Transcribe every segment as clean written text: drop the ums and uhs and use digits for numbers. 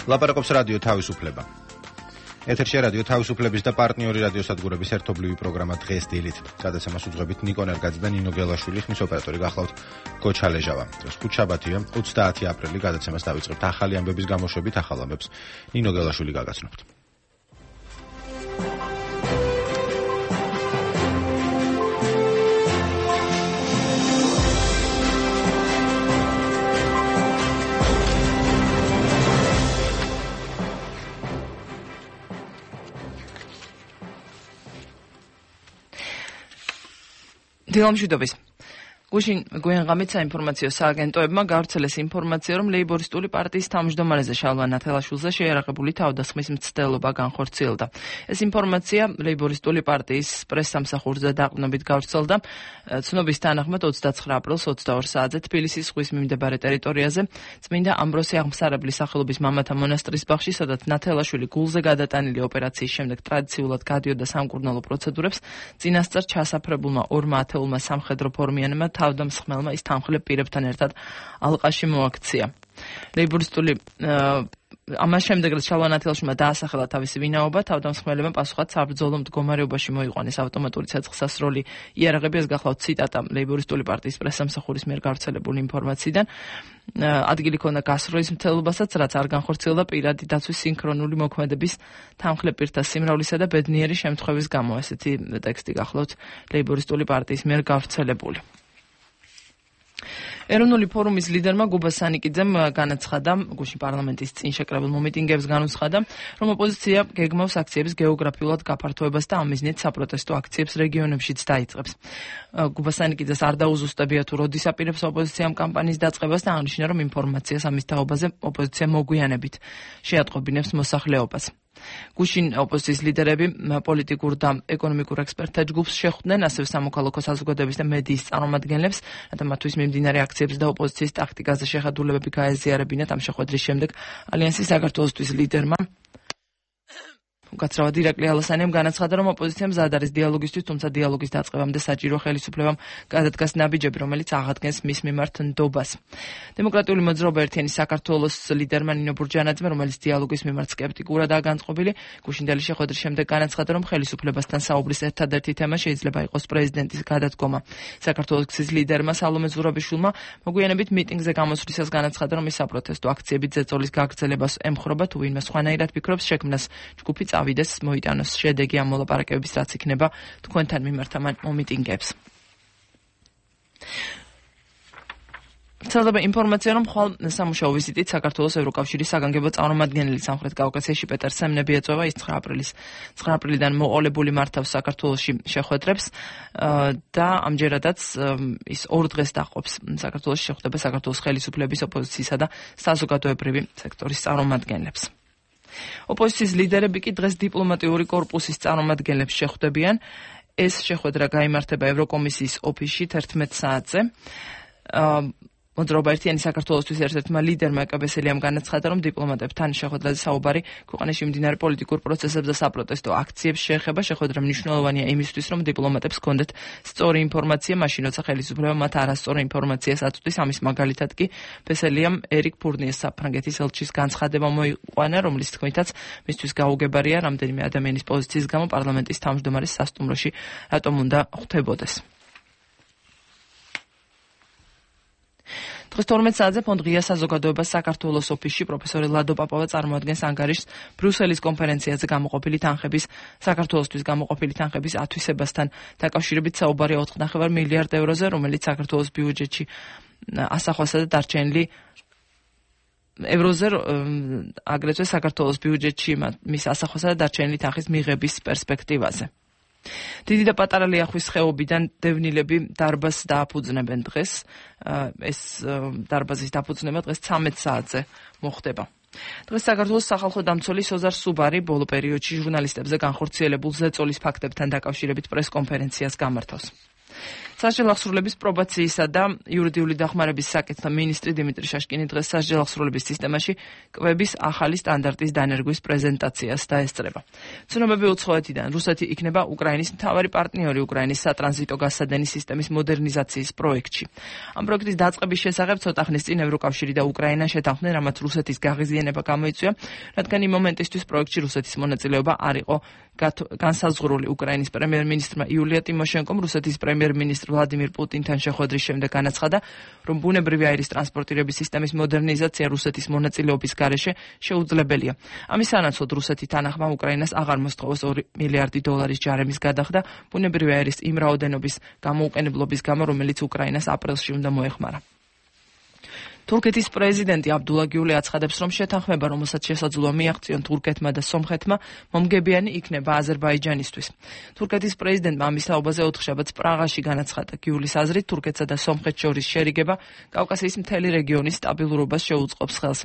ლაპარაკობს რადიო თავისუფლება. ეთერში რადიო თავისუფლების და პარტნიორი რადიოსადგურების ერთობლივი პროგრამა დღეს დილით. გადაცემას უძღვებით ნიკო ნერგაძე და ნინო გელაშვილი, ხმის ოპერატორი გახლავთ გოჩა ლეჟავა. დღეს ხუთშაბათია, 30 აპრილი. გადაცემას დავიწყებთ ახალი ამბების გამოშვებით, ახალ ამბებს ნინო გელაშვილი გაგაცნობთ. დილამშვიდობის. გუშინ გვიანღამით საინფორმაციო სააგენტოებმა გავრცელეს ინფორმაცია, რომ ლეიბორისტული პარტიის თავმჯდომარეზე შალვა ნათელაშვილზე შეიარაღებული თავდასხმის მცდელობა განხორციელდა. ეს ინფორმაცია ლეიბორისტული პარტიის პრესსამსახურზე დაყრდნობით გავრცელდა. ცნობის თანახმად 29 აპრილს 22 საათზე თბილისის ზღვის მიმდებარე ტერიტორიაზე წმინდა ამბროსი აღმსარებლის სახელობის მამათა მონასტრის ბაღში, სადაც ნათელაშვილი გულზე გადატანილი ოპერაციის შემდეგ ტრადიციულად გადიოდა სამკურნალო პროცედურებს, წინასწარ ჩასაფრებულმა ორმა ათეულმა სამხედრო ფორმიანმა თავდამსხმელმა ის თანხლებ პირებთან ერთად ალყაში მოაქცია. ლეიბორისტული ამას შემდეგ რაც შალვა ნათელაშვილმა დაასახელა თავისი ვინაობა, თავდამსხმელებმა პასუხად საბრძოლო მდგომარეობაში მოიყვანეს ავტომატური ცეცხლსასროლი იარაღები. ეს გახლავთ ციტატა ლეიბორისტული პარტიის პრესსამსახურის მიერ გავრცელებული ინფორმაციიდან. ადგილი ქონდა გასროლის მცდელობასაც, რაც არ განხორციელდა პირადი დაცვის სინქრონული მოქმედების თანხლებ პირთა სიმრავლისა და ბედნიერი შემთხვევის გამო. ესეთი ტექსტი გახლავთ ლეიბორისტული პარტიის მიერ გავრცელებული. ეროვნული ფორუმის ლიდერმა გუბა სანიკიძემ განაცხადა, გუშინ პარლამენტის წინ შეკრებილ მომიტინგებს განუცხადა, რომ ოპოზიცია გეგმავს აქციების გეოგრაფიულად გაფართოებას და ამ მიზნით საპროტესტო აქციებს რეგიონებშიც დაიწყებს. გუბა სანიკიძეს არ დაუზუსტებია თუ როდის აპირებს ოპოზიციამ კამპანიის დაწყებას და აღნიშნა, რომ ინფორმაციას ამის თაობაზე ოპოზიცია მოგვიანებით შეატყობინებს მოსახლეობას. გუშინ ოპოზიციის ლიდერები პოლიტიკურ და ეკონომიკურ ექსპერტთა ჯგუფს შეხვდნენ, ასევე სამოქალაქო საზოგადოების და მედიის წარმომადგენლებს, რათა მათთვის მიმდინარე აქციებს და ოპოზიციის ტაქტიკაზე შეხედულებები გაეზიარებინათ. ამ შეხვედრის შემდეგ ალიანსის საქართველოსთვის ლიდერმა უკაცრავად ირაკლი ალასანიამ განაცხადა, რომ ოპოზიცია მზად არის დიალოგისთვის, თუმცა დიალოგის დაწყებამდე საჭირო ხელისუფლებამ გადადგას ნაბიჯები, რომელიც აღადგენს მის მიმართ ნდობას. დემოკრატიული მოძრაობა ერთიანი საქართველოს ლიდერმა ნინო ბურჯანაძემ, რომელიც დიალოგის მიმართ სკეპტიკურადაა განწყობილი, გუშინდელი შეხვედრის შემდეგ განაცხადა, რომ ხელისუფლებასთან საუბრის ერთადერთი თემა შეიძლება იყოს პრეზიდენტის გადადგომა. საქართველოს გზის ლიდერმა სალომე ზურაბიშვილმა მოგვიანებით მიტინგზე გამოსვლისას განაცხადა, რომ ის საპროტესტო აქციებით ზეწოლის გაგრძელებას ემხრობა, თუ ვინმე სხვანაირად ფიქრობს, შექმნას ჯგუფი წავიდეს, მოიტანოს შედეგი ამ მოლაპარაკებების, რაც იქნება თქვენთან მიმართ ამ მომიტინგებს. ვრცელდება ინფორმაცია, რომ ხვალ სამუშაო ვიზიტით საქართველოს ევროკავშირის საგანგებო წარმომადგენელი სამხრეთ კავკასიაში პეტერ სემნები ეწევა. ის 9 აპრილიდან მოყოლებული მართავს საქართველოში შეხვედრებს და ამჯერადაც ის 2 დღეს დაყობს საქართველოში შეხვდება საქართველოს ხელისუფლების, ოპოზიციისა და საზოგადოებრივი სექტორის წარმომადგენლებს. ოპოზიციის ლიდერები კი დღეს დიპლომატიური კორპუსის წარმომადგენლებს შეხვდებიან. ეს შეხვედრა გაიმართება ევროკომისიის ოფისში 11 საათზე. მოძრაობა ერთიანი საქართველოსთვის ერთ-ერთმა ლიდერმა ეკაბესელიამ განაცხადა, რომ დიპლომატებთან შეხვედრაზე საუბარი ქვეყანაში მიმდინარე პოლიტიკურ პროცესებს და საპროტესტო აქციებს შეეხება. შეხვედრა მნიშვნელოვანია იმისთვის, რომ დიპლომატებს ჰქონდეთ სწორი ინფორმაცია, მაშინ როცა ხელისუფლება მათ არასწორ ინფორმაციას აწვდის. ამის მაგალითად კი ბესელიამ ერიკ ფურნიეს საფრანგეთის ელჩის განცხადება მოიყვანა, რომლის თქმითაც მისთვის გაუგებარია რამდენიმე ადამიანის პოზიციის გამო პარლამენტის თავმჯდომარის სასტუმროში რატომ უნდა ხვდებოდეს. დღეს 12 საათზე ფონდ ღია საზოგადოებას საქართველოს ოფისში პროფესორი ლადო პაპავა წარმოადგენს ანგარიშს ბრიუსელის კონფერენციაზე გამოყოფილი თანხების, საქართველოსთვის გამოყოფილი თანხების ათვისებასთან დაკავშირებით. საუბარი 4.5 მილიარდ ევროზე, რომელიც საქართველოს ბიუჯეტში ასახვასა და დარჩენილი ევროზე, აგრეთვე საქართველოს ბიუჯეტში მის ასახვასა და დარჩენილი თანხის მიღების პერსპექტივაზე. დიდი და პატარა ლიახვის ხეობიდან დევნილები დარბაზს დააფუძნებენ დღეს. ეს დარბაზის დაფუძნება დღეს 13 საათზე მოხდება. დღეს საქართველოს სახალხო დამცველი სოზარ სუბარი ბოლო პერიოდში ჟურნალისტებზე განხორციელებულ ზეწოლის ფაქტებთან დაკავშირებით პრესკონფერენციას გამართავს. სასჯელ აღსრულების პრობაციისა და იურიდიული დახმარების საკითხთა მინისტრი დიმიტრი შაშკინი დღეს სასჯელ აღსრულების სისტემაში კვების ახალი სტანდარტის დანერგვის პრეზენტაციას დაესწრება. ცნობები უცხოეთიდან რუსეთი იქნება უკრაინის მთავარი პარტნიორი უკრაინის სატრანზიტო გასადენის სისტემის მოდერნიზაციის პროექტში. ამ პროექტის დაწყების შესახებ ცოტა ხნის წინ ევროკავშირი და უკრაინა შეთანხმდნენ, რამაც რუსეთის გაღიზიანება გამოიწვია, რადგან იმ მომენტისთვის პროექტში რუსეთის მონაწილეობა არ იყო განსაზღვრული. უკრაინის პრემიერ-მინისტრმა იულია ტიმოშენკომ რუსეთის პრემიერ-მინისტრ ვლადიმირ პუტინთან შეხვედრის შემდეგ განაცხადა, რომ ბუნებრივი აირის ტრანსპორტირების სისტემის მოდერნიზაცია რუსეთის მონაწილეობის გარეშე შეუძლებელია. ამის სანაცვლოდ რუსეთი თანახმა უკრაინას აღარ მოსთხოვოს 2 მილიარდი დოლარის ჯარემის გადახდა ბუნებრივი აირის იმ რაოდენობის გამოუყენებლობის გამო, რომელიც უკრაინას აპრილში უნდა მოეხმარა. თურქეთის პრეზიდენტი აბდულა გიული აცხადებს, რომ შეთანხმება, რომელსაც შესაძლოა მიაღწიონ თურქეთმა და სომხეთმა, მომგებიანი იქნება აზერბაიჯანისთვის. თურქეთის პრეზიდენტმა ამის თაობაზე ოთხშაბათს პრაღაში განაცხადა. გიულის აზრით, თურქეთსა და სომხეთს შორის შერიგება კავკასიის მთელი რეგიონის სტაბილურობას შეუწყობს ხელს.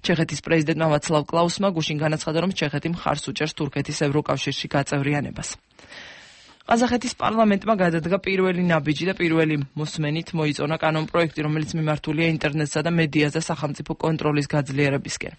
ჩეხეთის პრეზიდენტმა ვაცლავ კლაუსმა გუშინ განაცხადა, რომ ჩეხეთი მხარს უჭერს თურქეთის ევროკავშირში გაწევრიანებას. ყაზახეთის პარლამენტმა გადადგა პირველი ნაბიჯი და პირველი მოსმენით მოიწონა კანონპროექტი, რომელიც მიმართულია ინტერნეტსა და მედიაზე სახელმწიფო კონტროლის გაძლიერებისკენ.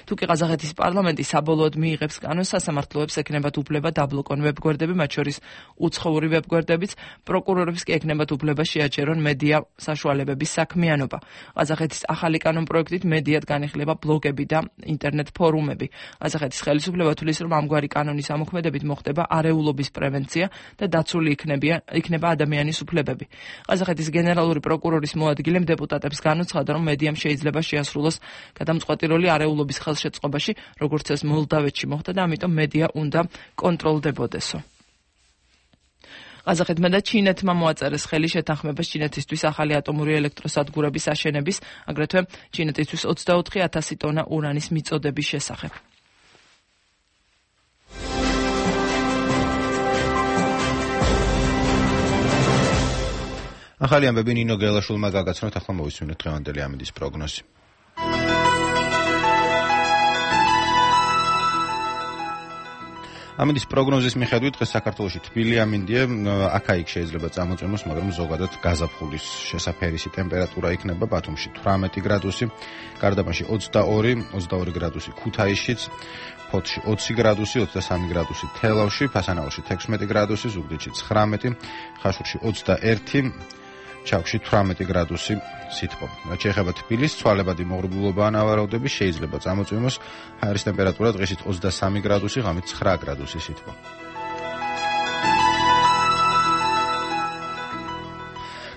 თუკი ყაზახეთის პარლამენტი საბოლოოდ მიიღებს კანონს, სასამართლოებს ექნებათ უფლება დაბლოკონ ვებგვერდები, მათ შორის უცხოური ვებგვერდებიც, პროკურორებს კი ექნებათ უფლება შეაჩერონ მედია საშუალებების საქმიანობა. ყაზახეთის ახალი კანონპროექტით მედიად განიხილება ბლოგები და ინტერნეტ ფორუმები. ყაზახეთის ხელისუფლება თვლის, რომ ამგვარი კანონის ამოქმედებით მოხდება არეულობის პრევენცია და დაცული იქნება ადამიანის უფლებები. ყაზახეთის გენერალური პროკურორის მოადგილემ დეპუტატებს განუცხადა, რომ მედიამ შეიძლება შეასრულოს გადამწყვეტი როლი არეულობის ხელშეწყობაში, როგორც ეს მოლდავეთში მოხდა და ამიტომ მედია უნდა კონტროლდებოდესო. ყაზახეთმა და ჩინეთმა მოაწერეს ხელი შეთანხმებას ჩინეთისთვის ახალი ატომური ელექტროსადგურების აშენების, აგრეთვე ჩინეთისთვის 24,000 ტონა ურანის მიწოდების შესახებ. ახალი ამბები ნინო გელაშვილმა გაგაცნოთ, ახლა მოვისმინოთ დღევანდელი ამინდის პროგნოზი. ამინდის პროგნოზის მიხედვით დღეს საქართველოში თბილი ამინდია, აქა-იქ შეიძლება წამოწმოს, მაგრამ ზოგადად გაზაფხულის შესაფერისი ტემპერატურა იქნება. ბათუმში 18 გრადუსი, გარდაბანში 22 გრადუსი ქუთაისშიც, ფოთში 20 გრადუსი, 23 გრადუსი თელავში, ფასანაურში 16 გრადუსი, ზუგდიდში 19, ხაშურში 21, ჩაქვში 18 გრადუსი სითბო. რაც შეეხება თბილის, ცვალებადი მოღრუბლულობა ანავარაუდები, შეიძლება წამოწმოს, ჰაერის ტემპერატურა დღესით 23 გრადუსი, ღამით 9 გრადუსი სითბო.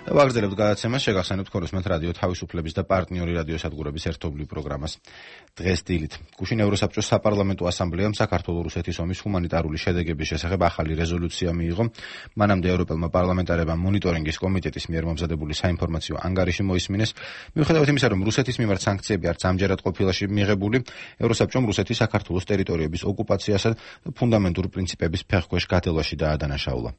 ვაგრძელებთ გადაცემას, შეგახსენებთ ქორწმენთ რადიო თავისუფლების და პარტნიორი რადიოსადგურების ერთობლივ პროგრამას. დღეს დილით გუშინ ევროსაბჭოს საპარლამენტო ასამბლეამ საქართველო-რუსეთის ომის ჰუმანიტარული შედეგების შესახებ ახალი რეზოლუცია მიიღო. მანამდე ევროპელმა პარლამენტარებმა მონიტორინგის კომიტეტის მიერ მომზადებული საინფორმაციო ანგარიში მოისმინეს. მიუხედავად იმისა, რომ რუსეთის მიმართ სანქციები არც ამჯერად ყოფილა მიღებული, ევროსაბჭომ რუსეთის საქართველოს ტერიტორიების ოკუპაციასა და ფუნდამენტურ პრინციპების ფეხქვეშ გადელვაში დაადანაშაულა.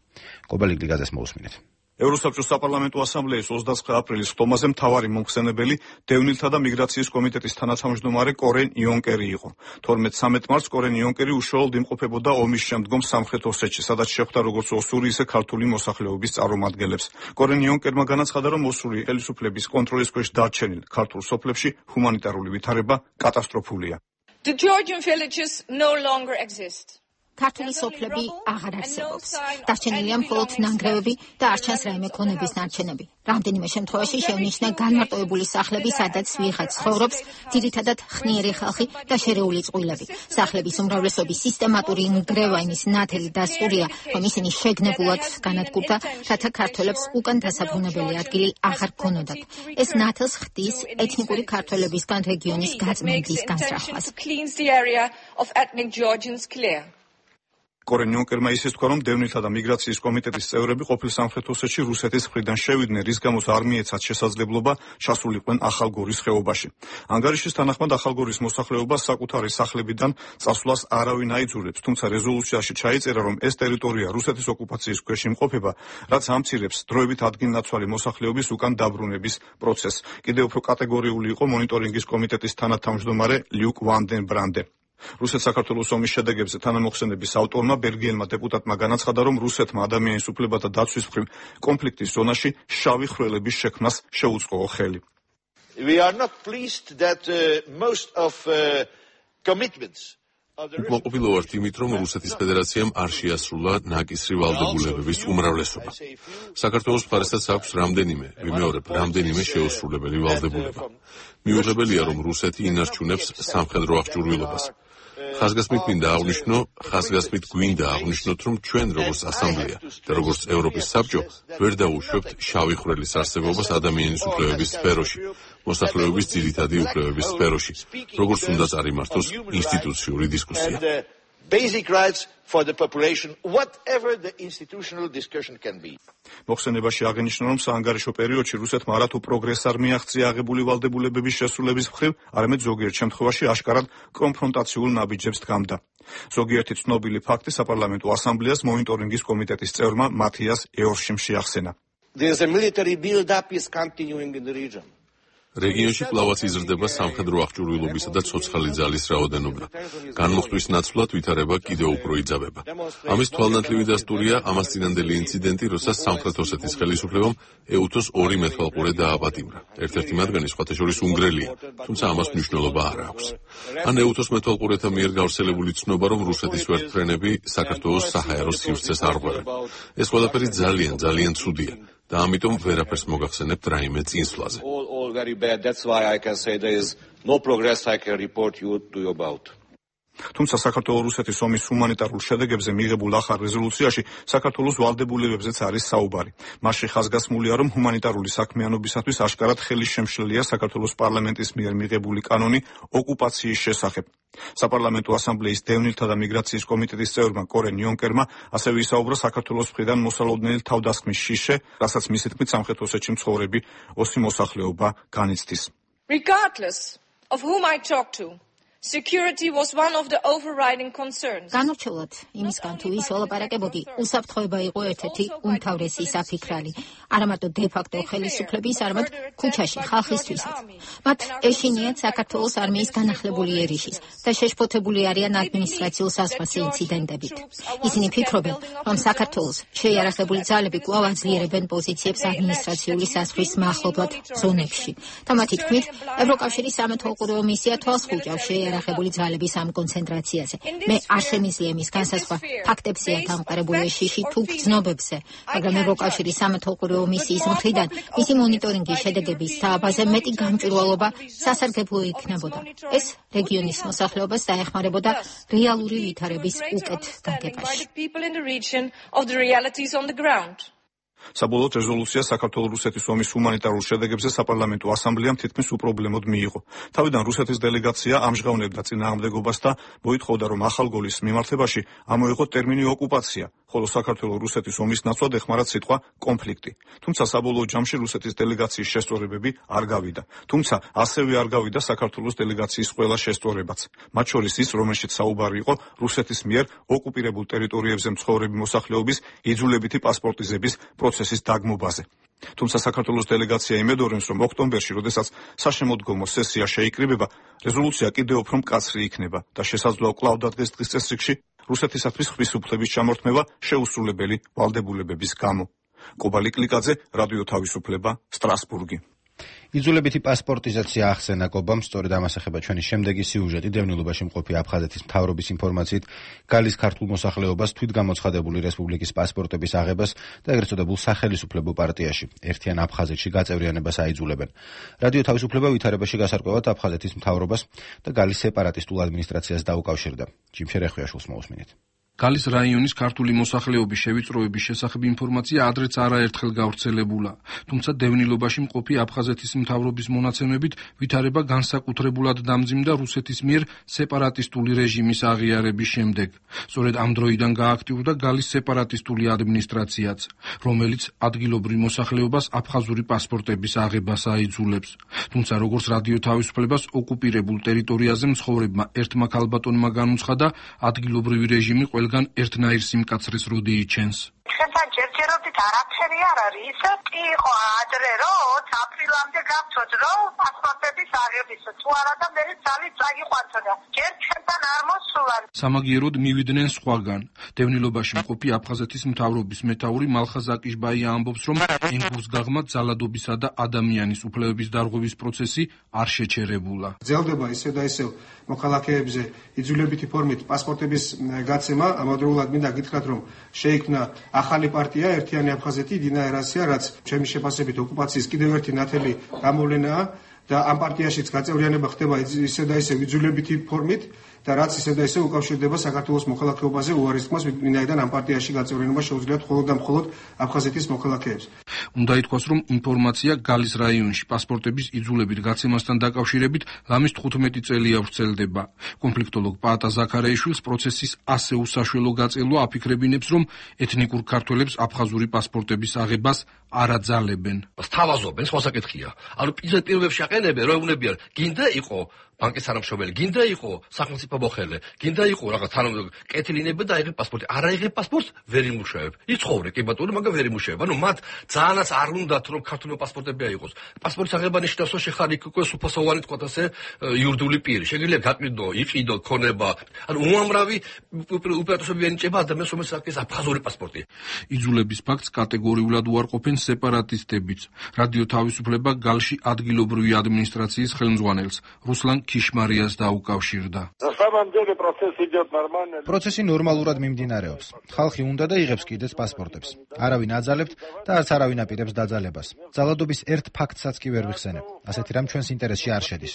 კობალიგლი გაზას მოусმინეთ. ევროსაბჭოს საპარლამენტო ასამბლეის 29 აპრილის ხტომაზე მთავარი მომხსენებელი დევნილთა და მიგრაციის კომიტეტის თანათავმჯდომარე კორენ იონკერი იყო. 12-13 მარტს კორენ იონკერი უშუალოდ იმყოფებოდა ომის შემდგომ სამხრეთ ოსეთში, სადაც შეხვდა როგორც ოსური, ისე ქართული მოსახლეობის წარმომადგენლებს. კორენ იონკერმა განაცხადა, რომ ოსური ხელისუფლების კონტროლის ქვეშ დარჩენილ ქართულ სოფლებში ჰუმანიტარული ვითარება კატასტროფულია. The Georgian villages no longer exist. ქართული სოფლები აღარ არსებობს. დარჩენილია მხოლოდ ნანგრევები და არ ჩანს რაიმე ქონების ნარჩენები. რამდენიმე შემთხვევაში შეუნიშნა განმარტოებული სახლები, სადაც ვიღაც ცხოვრობს, ძირითადად ხნიერი ხალხი და შერეული წყვილები. სახლების უმრავლესობის სისტემატური ნგრევა იმის ნათელი დასტურია, რომ ისინი შეგნებულად განადგურდა, რათა ქართველებს უკან დასაბრუნებელი ადგილი აღარ ქონოდათ. ეს ნათელს ხდის ეთნიკური ქართველებისგან რეგიონის გაწმენდის განსახლებას. კორენ იონკერმა ისიც თქვა, რომ დევნილთა და მიგრაციის კომიტეტის წევრები ყოფილ სამხრეთ ოსეთში რუსეთის მხრიდან შევიდნენ, რის გამოც არ მიეცათ შესაძლებლობა ჩასულიყვნენ ახალგორის ხეობაში. ანგარიშის თანახმად ახალგორის მოსახლეობას საკუთარი სახლებიდან წასვლას არავინ აიძულებს, თუმცა რეზოლუციაში ჩაიწერა, რომ ეს ტერიტორია რუსეთის ოკუპაციის ქვეშ იმყოფება, რაც ამცირებს დროებით ადგილნაცვალი მოსახლეობის უკან დაბრუნების პროცესს. კიდევ უფრო კატეგორიული იყო მონიტორინგის კომიტეტის თანათავმჯდომარე ლიუკ ვანდენ ბრანდე. რუსეთ-საქართველოს ომის შედეგებზე თანამოხსენების ავტორმა ბელგიელმა დეპუტატმა განაცხადა, რომ რუსეთმა ადამიანის უფლებათა დაცვის მხრივ კონფლიქტის ზონაში შავი ხვრელების შექმნას შეუწყო ხელი. We are not pleased that most of commitments უკმაყოფილო ვართ იმით, რომ რუსეთის ფედერაციამ არ შეასრულა ნაკისრი ვალდებულებების უმრავლესობა. საქართველოს მხარესაც აქვს რამდენიმე შეუსრულებელი ვალდებულება. მიუღებელია, რომ რუსეთი ინარჩუნებს სამხედრო აღჭურვილობას. ხაზგასმით გვინდა აღნიშნოთ, რომ ჩვენ როგორც ასამბლეა და როგორც ევროპის საბჭო ვერ დაუშვებთ შავი ხვრელის არსებობას ადამიანის უფლებების სფეროში, მოსახლეობის ძირითადი უფლებების სფეროში, როგორც უნდა წარიმართოს ინსტიტუციური დისკუსია. Basic rights for the population, whatever the institutional discussion can be. მოხსენებაში აღინიშნა, რომ საანგარიშო პერიოდში რუსეთმა არათუ პროგრესს არ მიაღწია აღებული ვალდებულებების შესრულების მხრივ, არამედ ზოგიერთ შემთხვევაში აშკარად კონფრონტაციულ ნაბიჯებს დგამდა. ზოგიერთი ცნობილი ფაქტი საპარლამენტო ასამბლეას მონიტორინგის კომიტეტის წევრმა მათიას ეორშიმ შეახსენა. There's a military build-up is continuing in the region. რეგიონში კვლავაც იზრდება სამხედრო აღჭურვილობისა და ცოცხალი ძალის რაოდენობა. განმუხტვის ნაცვლად ვითარება კიდევ უფრო იძაბება. ამის თვალნათლივი დასტურია ამას წინანდელი ინციდენტი, როცა სამხრეთ ოსეთის ხელისუფლებამ ეუთოს 2 მეთვალყურე დააპატიმრა. ერთ-ერთი მათგანი სხვათა შორის უნგრელია, თუმცა ამას მნიშვნელობა არ აქვს. ან ეუთოს მეთვალყურეთა მიერ გავრცელებული ცნობა, რომ რუსეთის ვერტმფრენები საქართველოს საჰაერო სივრცეს არღვევენ. ეს ყველაფერი ძალიან ცუდია. და ამიტომ ვერაფერს მოგახსენებთ რაიმე წინსვლაზე. All very bad. That's why I can say there is no progress I can report you about. თუმცა საქართველოს-რუსეთის ომის ჰუმანიტარულ შედეგებზე მიღებულ ახალ რეზოლუციაში საქართველოს ვალდებულებებზეც არის საუბარი. მასში ხაზგასმულია, რომ ჰუმანიტარული საქმიანობისათვის აშკარად ხელისშემშლელია საქართველოს პარლამენტის მიერ მიღებული კანონი ოკუპაციის შესახებ. საპარლამენტო ასამბლეის დევნილთა და მიგრაციის კომიტეტის წევრმა კორენ იონკერმა ასევე ისაუბრა საქართველოს მხრიდან მოსალოდნელი თავდასხმის შიშე, რასაც მისი თქმით სამხრეთ ოსეთში მცხოვრები ოსი მოსახლეობა განიცდის. Regardless of whom I talk to, security was one of the overriding concerns. განურჩევლად იმისგან თუ ის ოლაპარაკებოდი, უსაფრთხოება იყო ერთ-ერთი უმთავრესი საფიქრალი, არა მარტო დე-ფაქტო ხელისუფლების, არამედ ქუჩაში ხალხისთვისაც. მათ ეშინიათ საქართველოს არმიის განახლებული ერიშის და შეშფოთებული არიან ადმინისტრაციულ საზღვარზე ინციდენტებით. ისინი ფიქრობენ, რომ საქართველოს შეიარაღებული ძალები კვლავ აძლიერებენ პოზიციებს ადმინისტრაციული საზღვრის მახლობლად ზონებში. და მათი თქმით, ევროკავშირის სამეთვალყურეო მისია თვალს ხუჭავს შეიარაღებული ძალების ამ კონცენტრაციაზე. მე არ შემიძლია იმის განსაზღვრა ფაქტებზეა დამყარებული შიში თუ გრძნობებზე, მაგრამ ევროკავშირის სამეთვალყურეო მისიის მხრიდან მისი მონიტორინგის შედეგების დააბაზე მეტი გამჭვირვალობა სასარგებლო იქნებოდა. ეს რეგიონის მოსახლეობას დაეხმარებოდა რეალური ვითარების უკეთ გაგებაში. საბოლოოდ რეზოლუცია საქართველოს-რუსეთის ომის ჰუმანიტარულ შედეგებზე საპარლამენტო ასამბლეამ თითქმის უპრობლემოდ მიიღო. თავიდან რუსეთის დელეგაცია ამჟღავნებდა წინააღმდეგობას და მოითხოვდა, რომ ახალგოლის მიმართებაში ამოიღო ტერმინი ოკუპაცია, ხოლო საქართველოს-რუსეთის ომის ნაცვლად ეხმარა სიტყვა კონფლიქტი. თუმცა საბოლოო ჯამში რუსეთის დელეგაციის შესწორებები არ გავიდა. თუმცა ასევე არ გავიდა საქართველოს დელეგაციის ყველა შესწორებაც. მათ შორის ის, რომელშიც საუბარი იყო რუსეთის მიერ ოკუპირებულ ტერიტორიებზე მცხოვრები მოსახლეობის იძულებითი პასპორტიზების პროცესის დაგმობაზე. თუმცა საქართველოს დელეგაცია იმედოვნებს, რომ ოქტომბერში, როდესაც საშემოდგომო სესია შეიკრიბება, რეზოლუცია კიდევ უფრო მკაცრი იქნება და შესაძლოა კვლავ დადგეს დღის წესრიგში რუსეთისათვის ხმის უფლების ჩამორთმევა შეუსრულებელი ვალდებულებების გამო. კობალი კლიკაძე, რადიო თავისუფლება, სტრასბურგი. იძულებითი პასპორტიზაცია ახსენა კობამ, სწორედ ამას ეხება ჩვენი შემდეგი სიუჟეტი. დევნილობაში მყოფი აფხაზეთის მთავრობის ინფორმაციით, გალის ქართულ მოსახლეობას თვითგამოცხადებული რესპუბლიკის პასპორტების აღებას და ეგრეთ წოდებულ სახელისუფლებო პარტიაში ერთიან აფხაზეთში გაწევრიანებას აიძულებენ. რადიო თავისუფლება ვითარებაში გასარკვევად აფხაზეთის მთავრობას და გალის სეპარატისტულ ადმინისტრაციას დაუკავშირდა. ჯიმშერ ეხვიაშვილს მოусმინეთ. გალის რაიონის ქართული მოსახლეობის შევიწროების შესახებ ინფორმაცია ადრეც არაერთხელ გავრცელებულა, თუმცა დევნილობაში მყოფი აფხაზეთის მთავრობის მონაცემებით ვითარება განსაკუთრებულად დამძიმდა რუსეთის მიერ სეპარატისტული რეჟიმის აღიარების შემდეგ. სწორედ ამ დროიდან გააქტიურდა გალის სეპარატისტული ადმინისტრაციაც, რომელიც ადგილობრივ მოსახლეობას აფხაზური პასპორტების აღებას აიძულებს. თუმცა როგორც რადიო თავისუფლებას ოკუპირებულ ტერიტორიაზე მცხოვრებმა ერთმა ქალბატონმა განუცხადა, ადგილობრივი რეჟიმი ყველგან ერთნაირ სიმკაცრეს როდი იჩენს. ხება ჯერჯერობით არაფერი არ არის. კი იყო ადრე რომ აპრილამდე გავწოთ რომ პასპორტების აღების თუ არა და მე ძალით წაგიყვანთოდა. ჯერ ჩვენთან არ მოსულა. სამაგიეროდ მივიდნენ სხვაგან. დევნილობაში მყოფი აფხაზეთის მთავრობის მეთაური მალხაზ აკიშბაია ამბობს, რომ ენგურს გაღმა ძალადობისა და ადამიანის უფლებების დარღვევის პროცესი არ შეჩერებულა. გრძელდება ისევ და ისევ მოქალაქეებზე იძულებითი ფორმით პასპორტების გაცემა. ამავდროულად მინდა გითხრათ, რომ შეიქმნა ახალი პარტია ერთიანი აფხაზეთი დინა ერასია, რაც ჩემი შეფასებით ოკუპაციის კიდევ ერთი ნათელი გამოვლენაა და ამ პარტიაშიც გაწევრიანება ხდება ისევ და ისევ იძულებითი ფორმით და რაც ისევ და ისევ უკავშირდება საქართველოს მოქალაქეობაზე უარის თქმას, ვინაიდან ამ პარტიაში გაწევრიანება შეუძლიათ მხოლოდ და მხოლოდ აფხაზეთის მოქალაქეებს. უნდა ითქვას, რომ ინფორმაცია გალის რაიონში პასპორტების იძულებით გაცემასთან დაკავშირებით ლამის 15 წელია ვრცელდება. კონფლიქტოლოგ პაატა ზაქარეიშვილს პროცესის ასე უსაშველო გაწელვა აფიქრებინებს, რომ ეთნიკურ ქართველებს აფხაზური პასპორტების აღებას არ აძალებენ. სთავაზობენ, სხვა საკითხია. ანუ პირველებში აყენებენ, რომ ეუბნებიან, გინდა იყო ბანკის თანამშრომელი, გინდა იყო სახელმწიფო მოხელე, გინდა იყო რაღაც კეთილინები და აიღებ პასპორტი. არ აიღებ პასპორტს, ვერ იმუშავებ. იცხოვრე კი ბატონო, მაგრამ ვერ იმუშავებ. ანუ მათ ძალიანაც არ უნდათ რომ ქართული პასპორტები აიღოს. პასპორტის აღება ნიშნავს, რომ შეხარ იქ უკვე სუფასოვანი თქვათ ასე იურიდიული პირი. შეგიძლია გაყიდო, იყიდო, ქონება. ანუ უამრავი უპირატესობები ენიჭება ადამიანს, რომელსაც აქვს აფხაზური პასპორტი. იძულების ფაქტს კატეგორიულად უარყოფენ სეპარატისტებიც. რადიო თავისუფლება გალში ადგილობრივი ადმინისტრაციის ხელმძღვანელს რუსლან ქიშმარიას დაუკავშირდა. პროცესი ნორმალურად მიმდინარეობს. ხალხი უნდა და იღებს კიდეც პასპორტებს. არავინ აძალებთ და არც არავინ აპირებს დაძალებას. ძალადობის ერთ ფაქტსაც კი ვერ ვიხსენებ. ასეთი რამ ჩვენს ინტერესში არ შედის.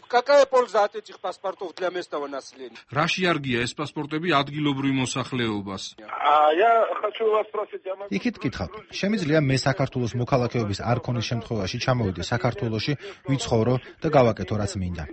Какая польза от этих паспортов для местного населения? რაში არგია ეს პასპორტები ადგილობრივ მოსახლეობას? იქით გითხავთ, შემიძლია მე საქართველოს მოქალაქეობის არ ქონის შემთხვევაში ჩამოვიდე საქართველოში, ვიცხოვრო და გავაკეთო რაც მინდა.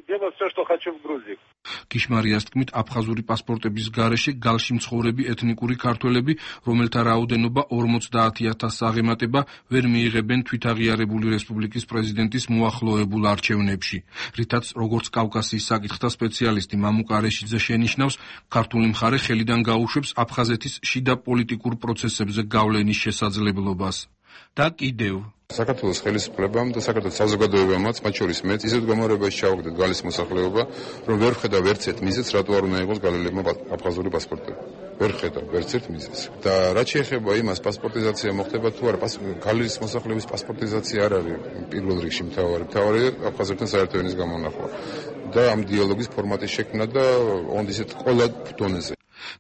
ქიშმარიას თქმით, აფხაზური პასპორტების გარეშე გალში მცხოვრები ეთნიკური ქართველები, რომელთა რაოდენობა 50,000-ს აღემატება, ვერ მიიღებენ თვითაღიარებული რესპუბლიკის პრეზიდენტის მოახლოებულ არჩევნებში. რითაც, როგორც კავკასიის საკითხთა სპეციალისტი მამუკ არეშიძე შენიშნავს, ქართული მხარე ხელიდან გაუშვებს აფხაზეთის შიდა პოლიტიკურ პროცესებზე გავლენის შესაძლებლობას. და კიდევ საქართველოს ხელისუფლებამ და საქართველოს საზოგადოებამაც, მათ შორის მეც, ისეთ გამარებაში ჩავაგდეთ გალის მოსახლეობა, რომ ვერ ხედავ ერთ მიზეზს, რატო არ უნდა იყოს გალელებმა აფხაზური პასპორტები. ვერ ხედავ ერთ მიზეზს. და რაც შეეხება იმას, პასპორტიზაცია მოხდება თუ არა, გალის მოსახლეობის პასპორტიზაცია არ არის პირველ რიგში მთავარი აფხაზებთან საერთო ენის გამონახვა. და ამ დიალოგის ფორმატის შექმნა და ისეთ ყველა დონეზე.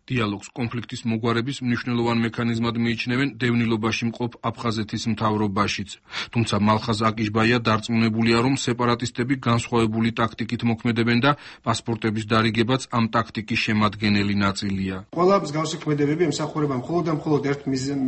დიალოგს კონფლიქტის მოგვარების მნიშვნელოვან მექანიზმად მიიჩნევენ დევნილობაში მყოფ აფხაზეთის მთავრობაშიც. თუმცა მალხაზ აკიშბაია დარწმუნებულია, რომ სეპარატისტები განსხვავებული ტაქტიკით მოქმედებენ და პასპორტების დარიგებაც ამ ტაქტიკის შემადგენელი ნაწილია. ყველა მსგავსი ქმედებები ემსახურება მხოლოდ და მხოლოდ ერთ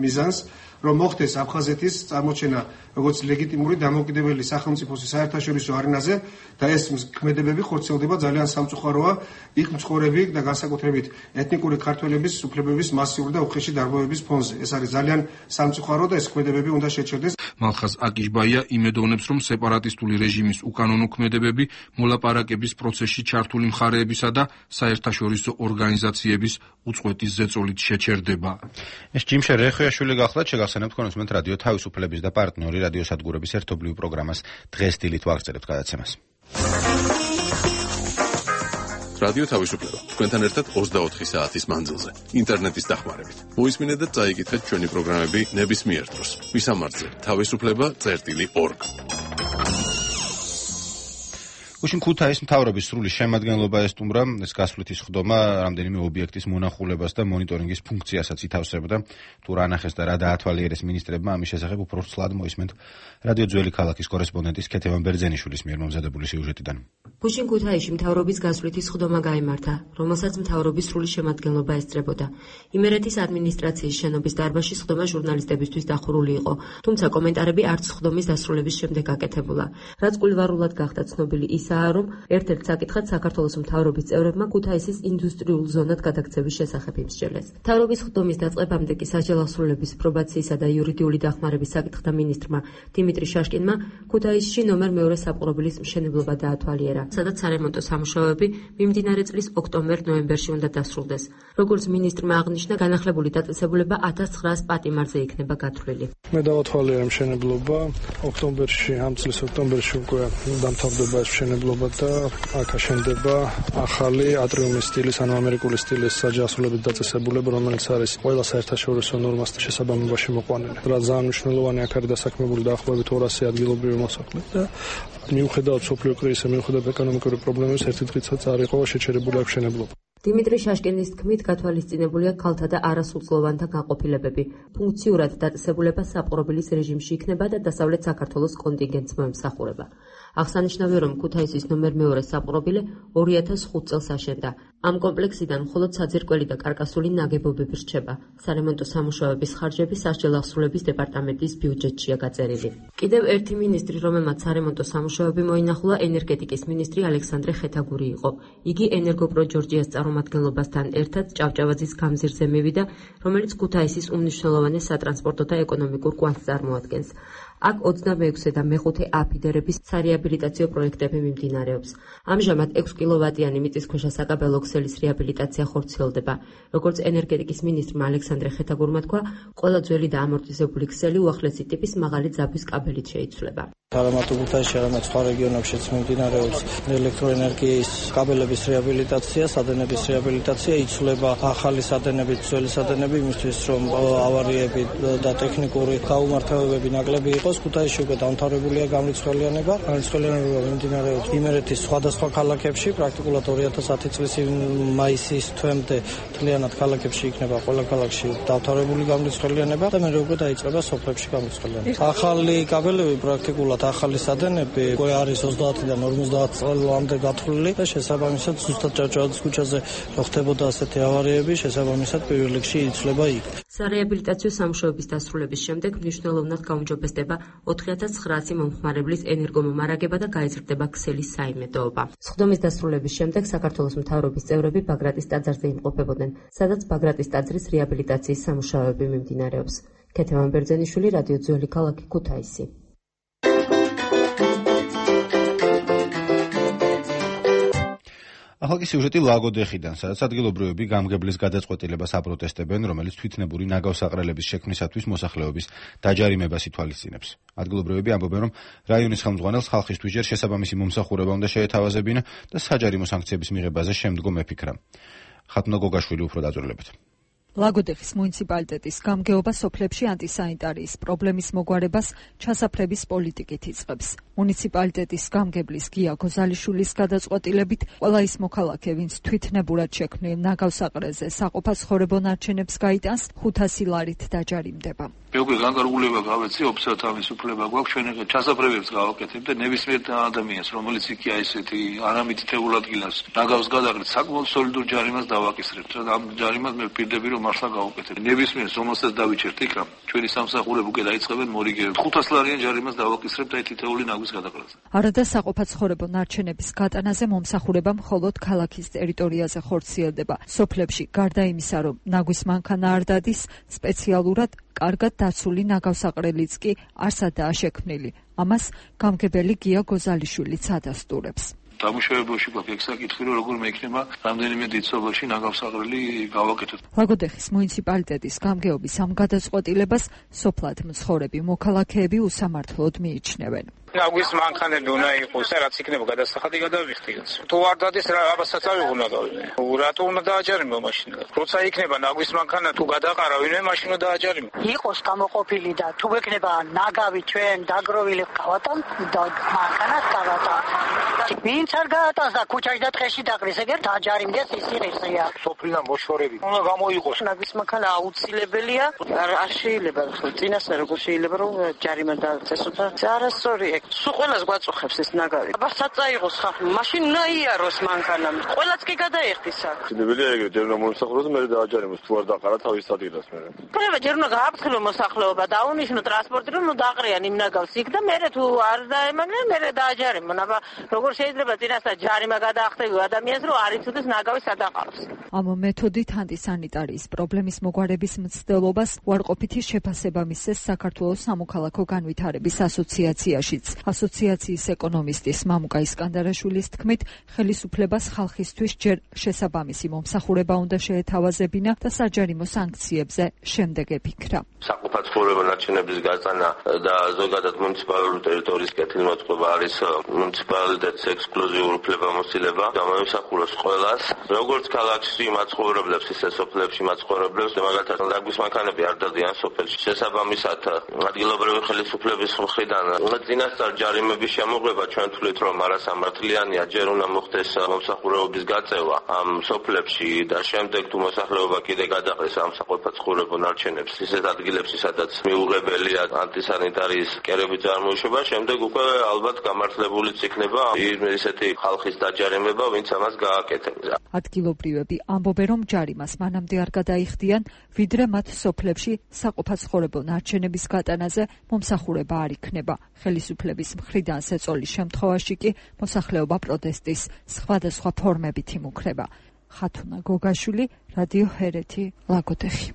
მიზანს, რომ მოხდეს აფხაზეთის წარმოჩენა როგორც ლეგიტიმური დამოუკიდებელი სახელმწიფოს საერთაშორისო არენაზე და ეს ქმედებები ხორციელდება ძალიან სამწუხაროა იქ მცხოვრები და განსაკუთრებით ეთნიკური ქართველების უფლებების მასიური და უხეში დარღვევების ფონზე. ეს არის ძალიან სამწუხარო და ეს ქმედებები უნდა შეჩერდეს. მალხაზ აკიშბაია იმედოვნებს, რომ სეპარატისტული რეჟიმის უკანონო ქმედებები მოლაპარაკების პროცესში ჩართული მხარეებისა და საერთაშორისო ორგანიზაციების უწყვეტის ზეწოლით შეჩერდება. ეს ჯიმშე რეხვიაშვილი გახლავთ, შეგახსენებთ თქვენ უსმენთ რადიო თავისუფლების და პარტნიორი რადიო სადგურების ერთობლივ პროგრამას დღეს დილით ვაგრძელებთ გადაცემას. რადიო თავისუფლება თქვენთან ერთად 24 საათის მანძილზე ინტერნეტის დახმარებით. მოისმინეთ და წაიკითხეთ ჩვენი პროგრამები ნებისმიერ დროს. ვისამართზე თავისუფლება.org. გუშინ ქუთაისის მთავრობის სრული შემადგენლობა ესტუმრა ეს გასვლითი სხდომა რამდენიმე ობიექტის მონახულებას და მონიტორინგის ფუნქციასაც ითავსებდა. თუ რა ნახეს და რა დაათვალიერეს მინისტრებმა, ამის შესახებ უფრო ცლად მოისმენთ რადიო ძველი ქალაქის კორესპონდენტის ქეთევან ბერძენიშვილის მიერ მომზადებული სიუჟეტიდან. გუშინ ქუთაისში მთავრობის გასვლითი სხდომა გაიმართა, რომელსაც მთავრობის სრული შემადგენლობა ესწრებოდა. იმერეთის ადმინისტრაციის შენობის დარბაზში სხდომა ჟურნალისტებისთვის დახურული იყო, თუმცა კომენტარები არც სხდომის დასრულების შემდეგ აკეთებულა. რაც კულვარულად გახდა ცნობილი ისა, მითხრა, რომ ერთ-ერთ საკითხად საქართველოს მთავრობის წევრებმა ქუთაისის ინდუსტრიულ ზონად გადაქცევის შესახებ იმსჯელეს. მთავრობის ხდომის დაწყებამდე კი საჯელახსრულების პრობაციისა და იურიდიული დახმარების საკითხთა მინისტრმა დიმიტრი შაშკინმა ქუთაისში ნომერ მეორე საპყრობილის მშენებლობა დაათვალიერა, სადაც სარემონტო სამუშაოები მიმდინარე წლის ოქტომბერ-ნოემბერში უნდა დასრულდეს. როგორც მინისტრმა აღნიშნა, განახლებული დაწესებულება 1900 პატიმარზე იქნება გათვლილი. მე დავათვალიერე მშენებლობა ოქტომბერში, ამ წლის ოქტომბერში უკვე დამთავრდება ეს მშენებლობა და აქ აშენდება ახალი ატრიუმის სტილის, ანუ ამერიკული სტილის საჯელახსრულების დაწესებულება, რომელიც არის ყველა საერთაშორისო ნორმასთან შესაბამებაში მოყვანილი. რაც ძალიან მნიშვნელოვანი, აქ არის დასაქმებული დაახლოებით 200 ადგილობრივი მოსახლე და მიუხედავად სოფლიო კრიზისა, მიუხედავად ეკონომიკური პრობლემების, ერთი დღითაც არ იყო შეჩერებული აქ მშენებლობა. დიმიტრი შაშკინის თქმით, გათვალისწინებულია ქალთა და არასრულწლოვანთა განყოფილებები. ფუნქციურად დაწესებულება საპყრობილის რეჟიმში იქნება და დასავლეთ საქართველოს კონტინგენტს მოემსახურება. აღსანიშნავია, რომ ქუთაისის ნომერ მეორე საპყრობილე 2005 წელს აშენდა. ამ კომპლექსიდან მხოლოდ საძირკველი და კარკასული ნაგებობები რჩება. სარემონტო სამუშაოების ხარჯები საჯელახსრულების დეპარტამენტის ბიუჯეტშია გაწერილი. კიდევ ერთი მინისტრი, რომელმაც სარემონტო სამუშაოები მოინახულა, ენერგეტიკის მინისტრი ალექსანდრე ხეთაგური იყო. იგი ენერგოპრო ჯორჯიას წარმომადგენლობასთან ერთად ჭავჭავაძის გამზირზე მივიდა, რომელიც ქუთაისის უმნიშვნელოვანეს სატრანსპორტო და ეკონომიკურ კვანძს წარმოადგენს. აქ 26 და მე-5 აფიდერების სარეაბილიტაციო პროექტები მიმდინარეობს. ამჟამად 6 კილოვატიანი მიწისქვეშა საკაბელო ქსელის რეაბილიტაცია ხორციელდება. როგორც ენერგეტიკის მინისტრმა ალექსანდრე ხეთაგურმა თქვა, ყველა ძველი და ამორტიზებული ქსელი უახლესი ტიპის მაღალი ძაბვის კაბელით შეიცვლება. არამარტო ქუთაისში, არამედ სხვა რეგიონებშიც მიმდინარეობს ელექტროენერგიის კაბელების რეაბილიტაცია, სადენების რეაბილიტაცია, იცვლება ახალი სადენებით, ძველი სადენები, იმისთვის რომ ავარიები და ტექნიკური გაუმართავებები ნაკლები იყოს. ქუთაისში უკვე დამთავრებულია გამრიცხველიანება. გამრიცხველიანება მიმდინარეობს იმერეთის სხვადასხვა ქალაქებში, პრაქტიკულად 2010 წლის მაისის თვემდე მთლიანად ქალაქებში იქნება ყველა ქალაქში დამთავრებული გამრიცხველიანება და მერე უკვე დაიწყება სოფლებში გამრიცხველიანება. ახალი კაბელები პრაქტიკულად ახალი სადენები უკვე არის 30-დან 50 წლამდე გათვლილი და შესაბამისად ზუსტად ჭავჭავაძის ქუჩაზე რო ხდებოდა ასეთი ავარიები, შესაბამისად პირველ რიგში იცვლება იქ. სარეაბილიტაციო სამუშაოების დასრულების შემდეგ მნიშვნელოვნად გაუმჯობესდება 4900 მომხმარებლის ენერგომომარაგება და გაიზრდება ქსელის საიმედოობა. სხდომის დასრულების შემდეგ საქართველოს მთავრობის წევრები ბაგრატის ტაძარზე იმყოფებოდნენ, სადაც ბაგრატის ტაძრის რეაბილიტაციის სამუშაოები მიმდინარეობს. ქეთევან ბერძენიშვილი, რადიო ძველი ქალაქი, ქუთაისი. ახალ სიუჟეტი ლაგოდეხიდან, სადაც ადგილობრივები გამგებლის გადაწყვეტილებას აპროტესტებენ, რომელიც თვითნებური ნაგავსაყრელების შექმნისათვის მოსახლეობის დაჯარიმებას ითვალისწინებს. ადგილობრივები ამბობენ, რომ რაიონის ხელმძღვანელს ხალხისთვის ჯერ შესაბამისი მომსახურება უნდა შეეთავაზებინა და საჯარიმო სანქციების მიღებაზე შემდგომ ეფიქრა. ხათუნა გოგაშვილი უფრო დაწვრილებთ. ლაგოდეხის მუნიციპალიტეტის გამგეობა სოფლებში ანტისანიტარიის პრობლემის მოგვარებას ჩასაფრების პოლიტიკით იწყებს. მუნიციპალიტეტის გამგებლის გია გოზალიშვილის გადაწყვეტილებით ყველა ის მოქალაქე, ვინც თვითნებურად შექმნილ ნაგავსაყრელზე საყოფაცხოვრებო ნარჩენებს გაიტანს, 500 ლარით დაჯარიმდება. მე უკვე განკარგულება გავეცი, ოფიციალურად ამის უფლება გვაქვს, ჩვენ ახლა ჩასაფრებებს გავაკეთებ და ნებისმიერ ადამიანს, რომელიც იქია ესეთი არამიტითებულ ადგილას ნაგავს გადაყრით, საკმაოდ სოლიდურ ჯარიმას დავაკისრებთ. ამ ჯარიმას მე ვპირდები, რომ მართლა გავაკეთებ. ნებისმიერ რომელსაც დავიჩერთ იქ, ჩვენი სამსახურები უკვე დაიწყებენ მორიგებებს. 500 ლარიან ჯარიმას დავაკისრებთ და თითეული ნაგვის გადაყრაზე. არადა საყოფაცხოვრებო ნარჩენების გატანაზე მომსახურება მხოლოდ ქალაქის ტერიტორიაზე ხორციელდება. სოფლებში გარდა იმისა, რომ ნაგვის მანქანა არ დადის, სპეციალურად კარგად დაცული ნაგავსაყრელიც კი არსადაა შექმნილი. ამას გამგებელი გია გოზალიშვილიც ადასტურებს. დამუშავებაში გვაქვს ეგ საკითხი, რომ როგორ მეიქნება რამდენიმე დიდწოდოში ნაგავსაყრელი გავაკეთოთ. ლაგოდეხის მუნიციპალიტეტის გამგეობის ამ გადაწყვეტილებას სოფლად მცხოვრები მოქალაქეები უსამართლოდ მიიჩნევენ. ნაგვის მანქანები უნდა იყოს და რაც იქნება გადასახადი გადავიხდიოს. თუ არ დადის რა აბასაც აღუნა გავინე. რატო უნდა დააჯარიმო მაშინა? როცა იქნება ნაგვის მანქანა თუ გადაყარა ვინმე მაშინ უნდა დააჯარიმო. იყოს გამოყოფილი და თუ ექნება ნაგავი ჩვენ დაგროვილი გავატან და მანქანას გავატან. ვინც არ გაატანს და ქუჩაში და ტყეში დაყრის ეგერ დააჯარიმდეს ის ისია. სოფლიდან მოშორები უნდა გამოიყოს. ნაგვის მანქანა აუცილებელია. არ შეიძლება წინასწარ როგორ შეიძლება რომ ჯარიმა დაწესოს და არასწორი სულ ყველას გვაწუხებს ეს ნაგავი. აბასაც წაიღოს ხალხი, მაშინ უნდა იაროს მანქანა. ყველაც კი გადაიხდის აქ. შეიძლება ეგრე ჯერ უნდა მომსახუროს, მერე დააჯარიმოს, თუ არ დაყარა თავის ადგილას მერე. ყველა ჯერ უნდა გააფრთხილოს მოსახლეობა, დაუნიშნო ტრანსპორტი, რომ დაყრიან იმ ნაგავს იქ და მერე თუ არ დაემაგნენ, მერე დააჯარიმონ. აბა როგორ შეიძლება წინასწარ ჯარიმა გადაახტევიო ადამიანს, რომ არ იცოდეს ნაგავი სადაყავს. ამ მეთოდით ანტისანიტარიის პრობლემის მოგვარების მცდელობას უარყოფითი შეფასება მისცეს საქართველოს სამოქალაქო განვითარების ასოციაციაშიც. ასოციაციის ეკონომისტის მამუკა ისკანდარაშვილის თქმით, ხელისუფლებას ხალხისთვის ჯერ შესაბამისი მომსახურება უნდა შეეთავაზებინა და საჯარიმო სანქციებზე შემდეგ ეფიქრა. საყოფაცხოვრებო ნარჩენების გაწანა და ზოგადად მუნიციპალური ტერიტორიის კეთილმოწყობა არის მუნიციპალიტეტის ექსკლუზიური უფლებამოსილება. გამოსახულოს ყველას, როგორც ქალაქში მაცხოვრებლებს, ისე სოფლებში მაცხოვრებლებს, მაგალითად დაგვის მანქანები არ დადიან სოფელში. შესაბამისად, ადგილობრივი ხელისუფლების მხრიდან წინასწარ ჯარიმების შემოღება ჩვენ თვლით, რომ არასამართლიანია, ჯერ უნდა მოხდეს მომსახურებობის გაწევა ამ სოფლებში და შემდეგ თუ მოსახლეობა კიდე გადაყრეს ამ საყოფაცხოვრებო ნარჩენებს ისეთ ადგილებში, სადაც მიუღებელია ანტისანიტარიის კერების წარმოიშობა, შემდეგ უკვე ალბათ გამართლებულიც იქნება ისეთი ხალხის დაჯარიმება, ვინც ამას გააკეთებს. ადგილობრივები ამბობენ, რომ ჯარიმას მანამდე არ გადაიხდიან, ვიდრე მათ სოფლებში საყოფაცხოვრებო ნარჩენების გატანაზე მომსახურება არ იქნება. ხელისუფლების მხრიდან სეწოლის შემთხვევაში კი მოსახლეობა პროტესტის სხვადასხვა ფორმებით იმუქრება. ხათუნა გოგაშვილი, რადიო ჰერეთი, ლაგოდეხი.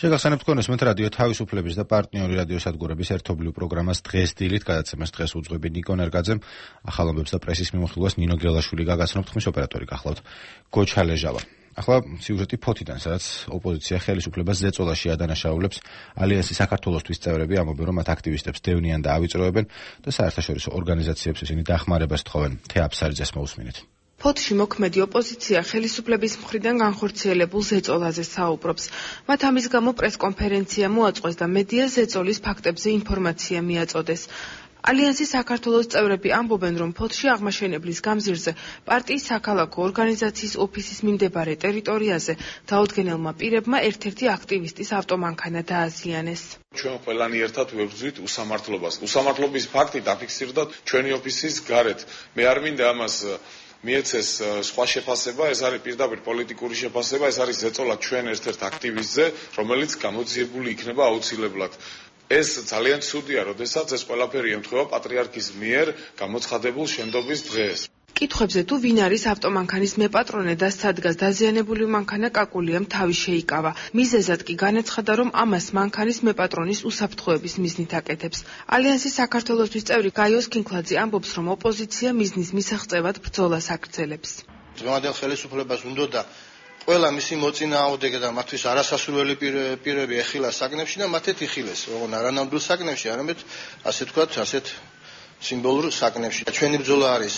შეგახსენებთ გქონდეთ რადიო თავისუფლების და პარტნიორი რადიოსადგურების ერთობლივ პროგრამას დღეს დილით გადაცემას დღეს უძღვები ნიკო ნერგაძემ, ახალ ამბებს და პრესის მიმოხილვას ნინო გელაშვილი გაგაცნობთ, ხმის ოპერატორი გახლავთ გოჩა ლეჟავა. ახლა სიუჟეტი ფოთიდან, სადაც ოპოზიცია ხელისუფლებას ზეწოლაში ადანაშაულებს. ალიანსი საქართველოსთვის წევრები ამბობენ, რომ მათ აქტივისტებს დევნიან და ავიწროებენ და საერთაშორისო ორგანიზაციებს ისინი დახმარებას თხოვენ. თეაფსარიძეს მოусმინეთ. ფოთში მოქმედი ოპოზიცია ხელისუფლების მხრიდან განხორციელებულ ზეწოლაზე საუბრობს. მათ ამის გამო პრესკონფერენცია მოაწყვეს და მედია ზეწოლის ფაქტებზე ინფორმაცია მიაწოდეს. ალიანსის საქართველოს წევრები ამბობენ, რომ ფოთში აღმაშენებლის გამზირზე პარტიის საქალაქო ორგანიზაციის ოფისის მიმდებარე ტერიტორიაზე დაუდგენელმა პირებმა ერთ-ერთი აქტივისტის ავტომანქანა დააზიანეს. ჩვენ ყველანი ერთად ვებრძვით უსამართლობას. უსამართლობის ფაქტი დაფიქსირდა ჩვენი ოფისის გარეთ. მე არ მინდა ამას მიეცეს სხვა შეფასება, ეს არის პირდაპირ პოლიტიკური შეფასება, ეს არის ზეწოლა ჩვენ ერთ-ერთ აქტივისტზე, რომელიც გამოძიებული იქნება აუცილებლად. ეს ძალიან ცუდია, როდესაც ეს ყველაფერი ემთხვევა პატრიარქის მიერ გამოცხადებულ შენდობის დღეს. კითხვებზე თუ ვინ არის ავტომანქანის მეპატრონე და სადგას დაზიანებული მანქანა კაკულიამ თავი შეიკავა. მიზეზად კი განაცხადა, რომ ამას მანქანის მეპატრონის უსაფრთხოების მიზნით აკეთებს. ალიანსის საქართველოსთვის წევრი გაიოს კინკლაძე ამბობს, რომ ოპოზიცია მიზნის მისაღწევად ბრძოლას აგრძელებს. დღევანდელ ხელისუფლებას უნდა ყველა მისი მოწინააღმდეგე და მათთვის არასასურველი პირები ეხილა საკნებში და მათეთ იხილეს, ოღონ არანამდვილ საკნებში, არამედ ასე ვთქვათ, ასეთ სიმბოლურ საკნებში. ჩვენი ბრძოლა არის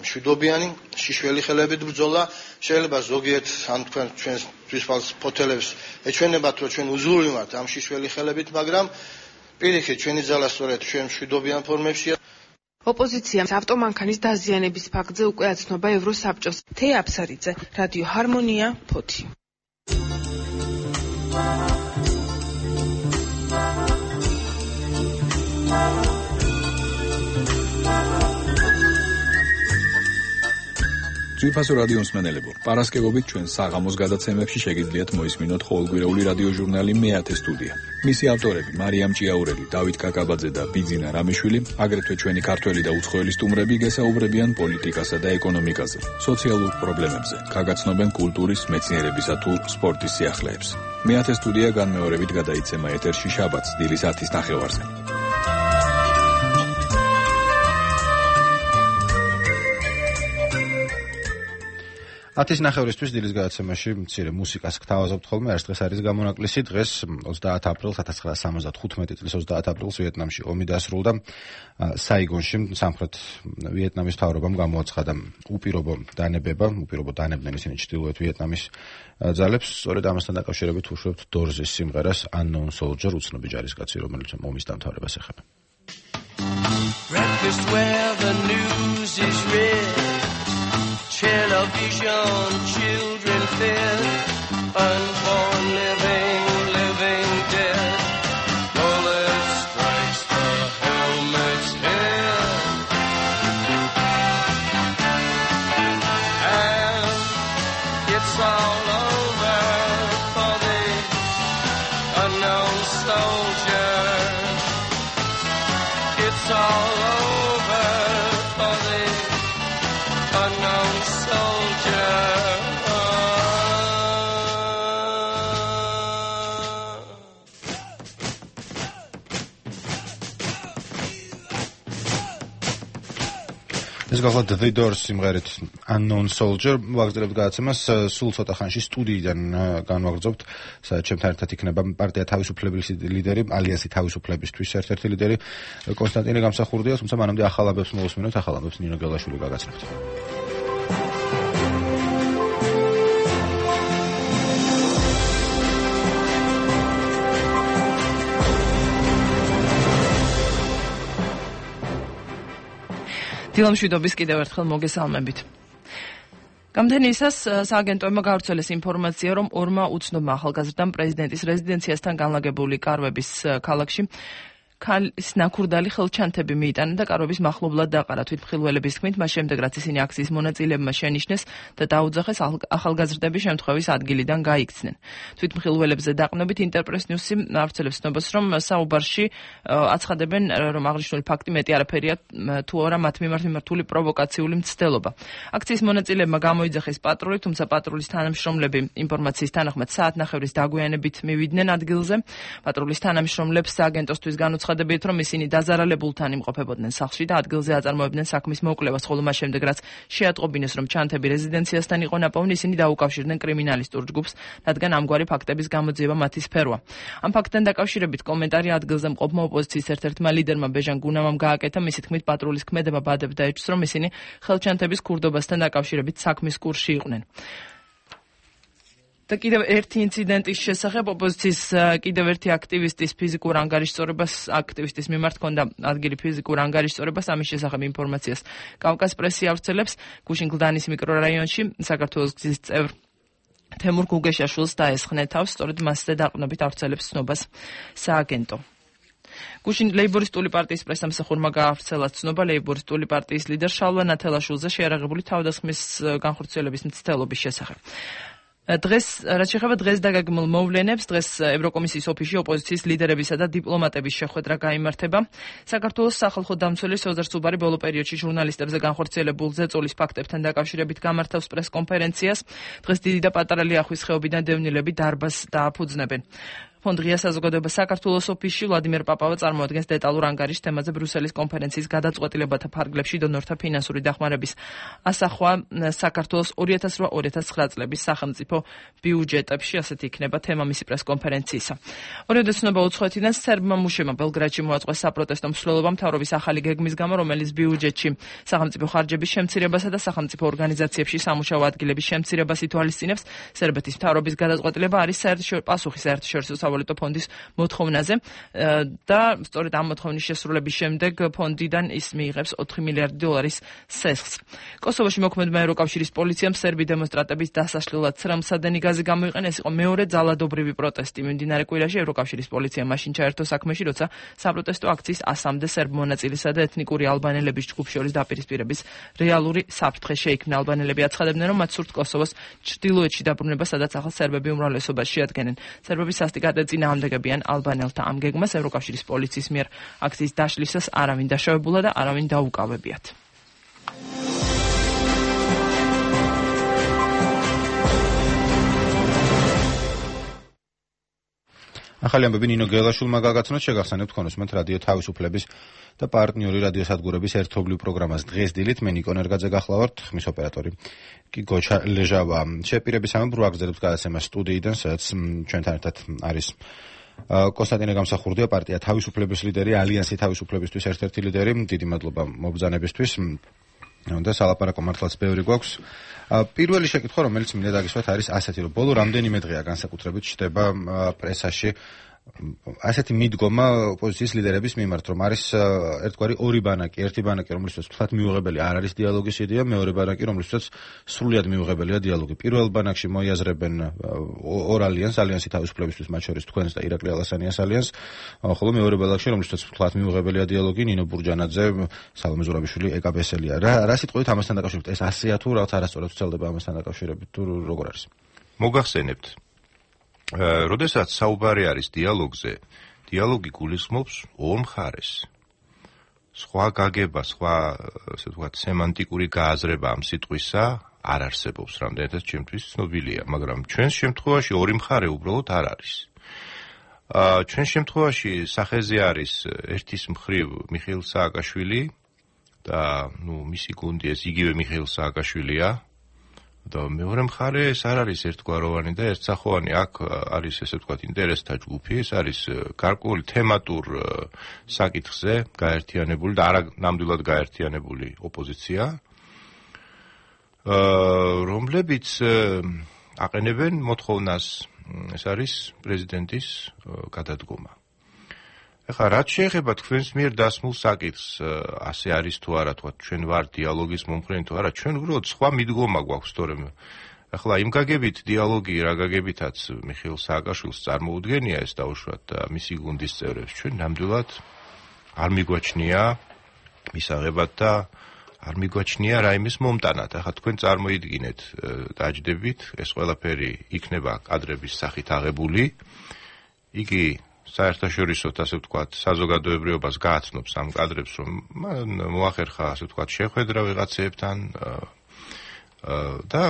მშვიდობიანი, შიშველი ხელებით ბრძოლა. შეიძლება ზოგიერთ ან თქვენ ჩვენთვის ფოთელებს ეჩვენებათ, რომ ჩვენ უზრუნველοι ვართ ამ შიშველი ხელებით, მაგრამ პირიქით ჩვენი ძალა სწორედ ჩვენ მშვიდობიან ფორმებშია. ოპოზიციამ ავტომანქანის დაზიანების ფაქტზე უკვე აცნობა ევროსაბჭოს. თეაფსარიძე, რადიო ჰარმონია, ფოთი. ძვირფასო რადიო მსმენელებო, პარასკევობით ჩვენ საღამოს გადაცემებში შეგიძლიათ მოისმინოთ ყოველკვირეული რადიო ჟურნალი მეათე სტუდია. მისი ავტორები მარიამ ჭიაურელი, დავით კაკაბაძე და ბიძინა რამიშვილი, აგრეთვე ჩვენი ქართველი და უცხოელი სტუმრები გესაუბრებიან პოლიტიკასა და ეკონომიკაზე, სოციალურ პრობლემებზე, გაგაცნობენ კულტურის, მეცნიერებისა თუ სპორტის სიახლეებს. მეათე სტუდია განმეორებით გადაიცემა ეთერში შაბათს დილის 10:30-ზე. ათის ნახევრისთვის დილის გადაცემაში მცირე მუსიკას გთავაზობთ ხოლმე. ეს დღეს არის გამონაკლისი. დღეს 30 აპრილს 1975 წლის 30 აპრილს ვიეტნამში ომი დასრულდა. საიგონში სამხრეთ ვიეტნამის მთავრობამ გამოაცხადა უპირობო დანებდნენ ისინი ჩრდილოეთ ვიეტნამის ძალებს. სწორედ ამასთან დაკავშირებით უშვებთ დორზის სიმღერას Unknown Soldier, უცნობი ჯარისკაცი, რომელიც ომის დამთავრებას ეხება. Breakfast where the news is read, television, children fed, unborn living dead. Bullet strikes the helmet's head, and it's all over for the unknown soldier. ეს გახლავთ The Doors სიმღერით Unknown Soldier ვაგრძელებთ გადაცემას სულ ცოტა ხანში სტუდიიდან განვაგრძობთ სადაც ჩემთან ერთად იქნება პარტია თავისუფლების ლიდერი ალიანსი თავისუფლებისთვის ერთ-ერთი ლიდერი კონსტანტინე გამსახურდია თუმცა მანამდე ახალაბებს მოვუსმინოთ ახალაბებს ნინო გელაშვილი გაგაცნობთ დილამშვიდობის კიდევ ერთხელ მოგესალმებით. გამთენიისას სააგენტოებმა გავრცელეს ინფორმაცია, რომ ორმა უცნობმა ახალგაზრდამ პრეზიდენტის რეზიდენციასთან განლაგებული კარვების ქალაქში ქალის ნაქურდალი ხელჩანთები მიიტანა და კარვების მახლობლად დაყარა. თვითმხილველების თქმით, მას შემდეგ რაც ისინი აქციის მონაწილეებმა შენიშნეს და დაუძახეს, ახალგაზრდები შემთხვევის ადგილიდან გაიქცნენ. თვითმხილველებზე დაყრდნობით ინტერპრეს ნიუსი ავრცელებს ცნობას, რომ საუბარში აცხადებენ, რომ აღნიშნული ფაქტი მეტი არაფერია თუ არა მათ მიმართ მიმართული პროვოკაციული მცდელობა. აქციის მონაწილეებმა გამოიძახეს პატრული, თუმცა პატრულის თანამშრომლები ინფორმაციის თანახმად საათნახევრის დაგვიანებით მივიდნენ ადგილზე. პატრულის თანამშრომლებს სააგენტოსთვის ცხადებიათ, რომ ისინი დაზარალებულთან იმყოფებოდნენ სახლში და ადგილზე აწარმოებდნენ საქმის მოკვლევას, ხოლო მას შემდეგ, რაც შეატყობინეს, რომ ჩანთები რეზიდენციასთან იყო ნაპოვნი, ისინი დაუკავშირდნენ კრიმინალისტურ ჯგუფს, რადგან ამგვარი ფაქტების გამოძიება მათი სფეროა. ამ ფაქტთან დაკავშირებით კომენტარი ადგილზე მყოფმა ოპოზიციის ერთ-ერთმა ლიდერმა ბეჟან გუნამამ გააკეთა, მისი თქმით, პატრულის ქმედება ბადებდა ეჭვს, რომ ისინი ხელჩანთების ქურდობასთან დაკავშირებით საქმის კურსში იყვნენ. და კიდევ ერთი ინციდენტის შესახებ ოპოზიციის კიდევ ერთი აქტივისტის ფიზიკურ ანგარიშწორებას აქტივისტის მიმართ ჰქონდა ადგილი ფიზიკურ ანგარიშწორებას ამის შესახებ ინფორმაციას კავკას პრესი ავრცელებს გუშინ-გლდანის მიკრორაიონში საქართველოს გზის წევრ თემურ გუგეშაშვილს დაესხნეთავს სწორედ მასზე დაყრდნობით ავრცელებს ცნობას სააგენტო გუშინ ლეიბორისტული პარტიის პრესამსახურმა გაავრცელა ცნობა ლეიბორისტული პარტიის ლიდერ შალვა ნათელაშვილზე შეერაღებული თავდასხმის განხორციელების მცდელობის შესახებ დღეს რაც შეეხება დღეს დაგეგმილ მოვლენებს დღეს ევროკომისიის ოფისში ოპოზიციის ლიდერებისა და დიპლომატების შეხვედრა გაიმართება საქართველოს სახალხო დამცველი სოზარ სუბარი ბოლო პერიოდში ჟურნალისტებზე განხორციელებულ ზეწოლის ფაქტებთან დაკავშირებით გამართავს პრესკონფერენციას დღეს დიდი და პატარა ლიახვის ხეობიდან დევნილები დარბაზს დააფუძნებენ ფონდ ღია საზოგადოება საქართველოს ოფისში ვლადიმერ პაპავა წარმოადგენს დეტალურ ანგარიშს თემაზე ბრიუსელის კონფერენციის გადაწყვეტილებათა ფარგლებში დონორთა ფინანსური დახმარების ასახვა საქართველოს 2008-2009 წლების სახელმწიფო ბიუჯეტებში ასეთი იქნება თემა მისი პრესკონფერენციისა. ორივე ცნობა უცხოეთიდან სერბმა მუშებმა ბელგრადში მოაწყვეს საპროტესტო მსვლელობა მთავრობის ახალი გეგმის გამო, რომელიც ბიუჯეტში სახელმწიფო ხარჯების შემცირებასა და სახელმწიფო ორგანიზაციებში სამუშაო ადგილების შემცირებას ითვალისწინებს. სერბეთის მთავრობის გადაწყვეტილება არის პასუხი საერთაშორისო სავალუტო ფონდის მოთხოვნაზე და სწორედ ამ მოთხოვნის შესრულების შემდეგ ფონდიდან ის მიიღებს 4 მილიარდი დოლარის სესხს. კოსოვოში მოქმედმა ევროკავშირის პოლიციამ სერბი დემონსტრანტების დასაშლელად ცრემლსადენი გაზი გამოიყენა. ეს იყო მეორე ძალადობრივი პროტესტი. მიმდინარე კვირაში ევროკავშირის პოლიცია მაშინ ჩაერთო საქმეში, როცა საპროტესტო აქციის 100-მდე სერბ მონაწილესა და ეთნიკური ალბანელების ჯგუფ შორის დაპირისპირების რეალური საფრთხე შეიქმნა. ალბანელები აცხადებდნენ, რომ მათ სურთ კოსოვოს ჩრდილოეთში დაბრუნება, სადაც ახალ სერბები უმრავლესობას შეადგენენ. სერბები სასტიკად ეწინააღმდეგებიან ალბანელთა ამ გეგმას. ევროკავშირის პოლიციის მიერ აქციის დაშლისას არავინ დაშავებულა და არავინ დაუკავებიათ. ახალი ამბები ნინო გელაშვილმა გაგაცნოთ შეგახსენებთ ქონოსმეთ რადიო თავისუფლების და პარტნიორი რადიოსადგურების ერთობლივ პროგრამას დღეს დილით მე ნიკო ნერგაძე გახლავართ ხმის ოპერატორი კი გოჩა ლეჟავა შეპირების ამბ ვაგრძელებთ გადაცემას სტუდიიდან სადაც ჩვენთან ერთად არის კონსტანტინე გამსახურდია პარტია თავისუფლების ლიდერი ალიანსი თავისუფლებისთვის ერთ-ერთი ლიდერი დიდი მადლობა მობრძანებისთვის და სალაპარაკო მართლაც ბევრი გვაქვს პირველი შეკითხვა რომელიც მინდა დაგისვათ არის ასეთი რომ ბოლო რამდენიმე დღეა განსაკუთრებით ჩდება პრესაში ასეთი მიდგომა ოპოზიციის ლიდერების მიმართ რომ არის ერთგვარი ორი ბანაკი ერთი ბანაკი რომლისთვის თვალთ მიუღებელი არ არის დიალოგის იდეა მეორე ბანაკი რომლისთვის სრულიად მიუღებელია დიალოგი პირველ ბანაკში მოიაზრებენ ორ ალიანსი თავისუფლებისთვის მათ შორის თქვენს და ირაკლი ალასანიას ალიანსს ხოლო მეორე ბანაკში რომლისთვის თვალთ მიუღებელია დიალოგი ნინო ბურჯანაძე სალომე ზურაბიშვილი ეკაბესელია რა სიტყვით ამასთან დაკავშირებით ეს ასეა თუ რაღაც არასწორად ვცელდება ამასთან დაკავშირებით თუ როგორ არის მოგახსენებთ როდესაც საუბარი არის დიალოგზე, დიალოგი გულისხმობს ორ მხარეს. სხვა გაგება, სხვა, ასე ვთქვათ, სემანტიკური გააზრება ამ სიტყვისა არ არსებობს, რამდენადაც ჩემთვის ცნობილია, მაგრამ ჩვენს შემთხვევაში ორი მხარე უბრალოდ არ არის. ჩვენს შემთხვევაში სახეზე არის ერთის მხრივ მიხეილ სააკაშვილი და მისი გუნდი ეს იგივე მიხეილ სააკაშვილია და მეორე მხარე ეს არ არის ერთგვაროვანი და ერთსახოვანი. აქ არის ესე ვთქვათ ინტერესთა ჯგუფი, ეს არის გარკვეული თემატურ საკითხზე გაერთიანებული და არა ნამდვილად გაერთიანებული ოპოზიცია, რომლებიც აყენებენ მოთხოვნას, ეს არის პრეზიდენტის გადადგომა. ეხლა რაც შეეხება თქვენს მიერ დასმულ საკითხს, ასე არის თუ არა, თქვა ჩვენ ვარ დიალოგის მომხრენი თუ არა, ჩვენ უბრალოდ სხვა მიდგომა გვაქვს, თორემ ეხლა იმ გაგებით დიალოგი რა გაგებითაც მიხეილ სააკაშვილს წარმოუდგენია ეს დაუშვათ და მისი გუნდის წევრებს, ჩვენ ნამდვილად არ მიგვაჩნია მისაღებად და არ მიგვაჩნია რაიმეს მომტანად. ეხლა თქვენ წარმოიდგინეთ, დაჯდებით, ეს ყველაფერი იქნება კადრების სახით აღებული, იგი საერთაშორისო, ასე ვთქვათ, საზოგადოებრიობას გააცნობს ამ კადრებს, რომ მოახერხა, ასე ვთქვათ, შეხვედრა ვიღაცეებთან და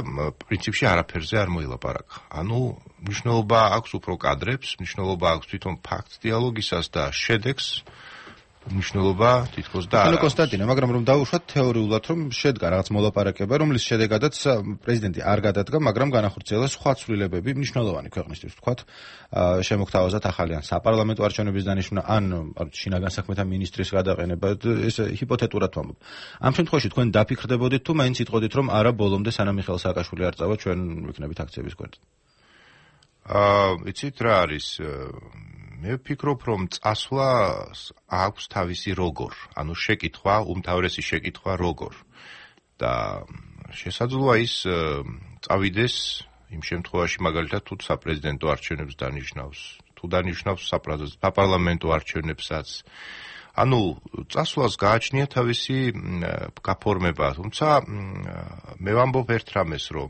პრინციპში არაფერზე არ მოილაპარაკა. ანუ მნიშვნელობა აქვს უფრო კადრებს, მნიშვნელობა აქვს თვითონ ფაქტს დიალოგისას და შედეგს მნიშვნელობა თითქოს და არა. კონსტანტინე, მაგრამ რომ დაუშვათ თეორიულად, რომ შედგა რაღაც მოლაპარაკება, რომლის შედეგადაც პრეზიდენტი არ გადადგა, მაგრამ განახორციელა სხვა ცვლილებები მნიშვნელოვანი ქვეყნისთვის, ვთქვათ, შემოგთავაზათ ახალი ან საპარლამენტო არჩევნების დანიშვნა, ან შინაგან საქმეთა მინისტრის გადაყენება, ეს ჰიპოთეტურად ვამბობ. ამ შემთხვევაში თქვენ დაფიქრდებოდით თუ მაინც იტყოდით, რომ არა ბოლომდე სანამ მიხეილ სააკაშვილი არ წავა, ჩვენ ვიქნებით აქციების გვერდზე? იცით რა არის? მე ვფიქრობ, რომ წასვლა აქვს თავისი როგორ, ანუ შეკითხვა, უმთავრესი შეკითხვა როგორ. და შესაძლოა ის წავიდეს იმ შემთხვევაში მაგალითად თუ საპრეზიდენტო არჩევნებს დანიშნავს, თუ დანიშნავს საპარლამენტო არჩევნებსაც. ანუ წასვლას გააჩნია თავისი გაფორმება, თუმცა მე ვამბობ ერთ რამეს, რომ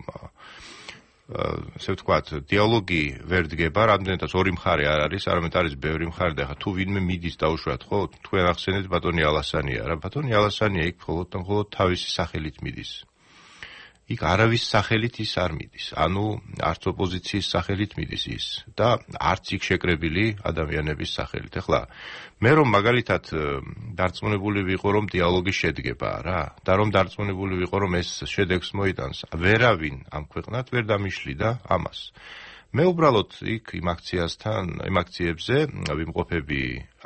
ესე ვთქვათ, დიალოგი ვერ დგება, რამდენადაც ორი მხარე არ არის, არამედ არის ბევრი მხარე და ახლა თუ ვინმე მიდის დაუშვათ, ხო, თქვენ ახსენეთ ბატონი ალასანია, რა ბატონი ალასანია იქ მხოლოდ თავისი სახელით მიდის. იქ არავის სახელით ის არ მიდის, ანუ არც ოპოზიციის სახელით მიდის ის და არც იქ შეკრებილი ადამიანების სახელით. ეხლა მე რომ მაგალითად დარწმუნებული ვიყო, რომ დიალოგი შედგება რა და რომ დარწმუნებული ვიყო, რომ ეს შედეგს მოიტანს, ვერავინ ამ ქვეყნად ვერ დამიშლიდა ამას. მე უბრალოდ იქ იმ აქციებზე ვიმყოფები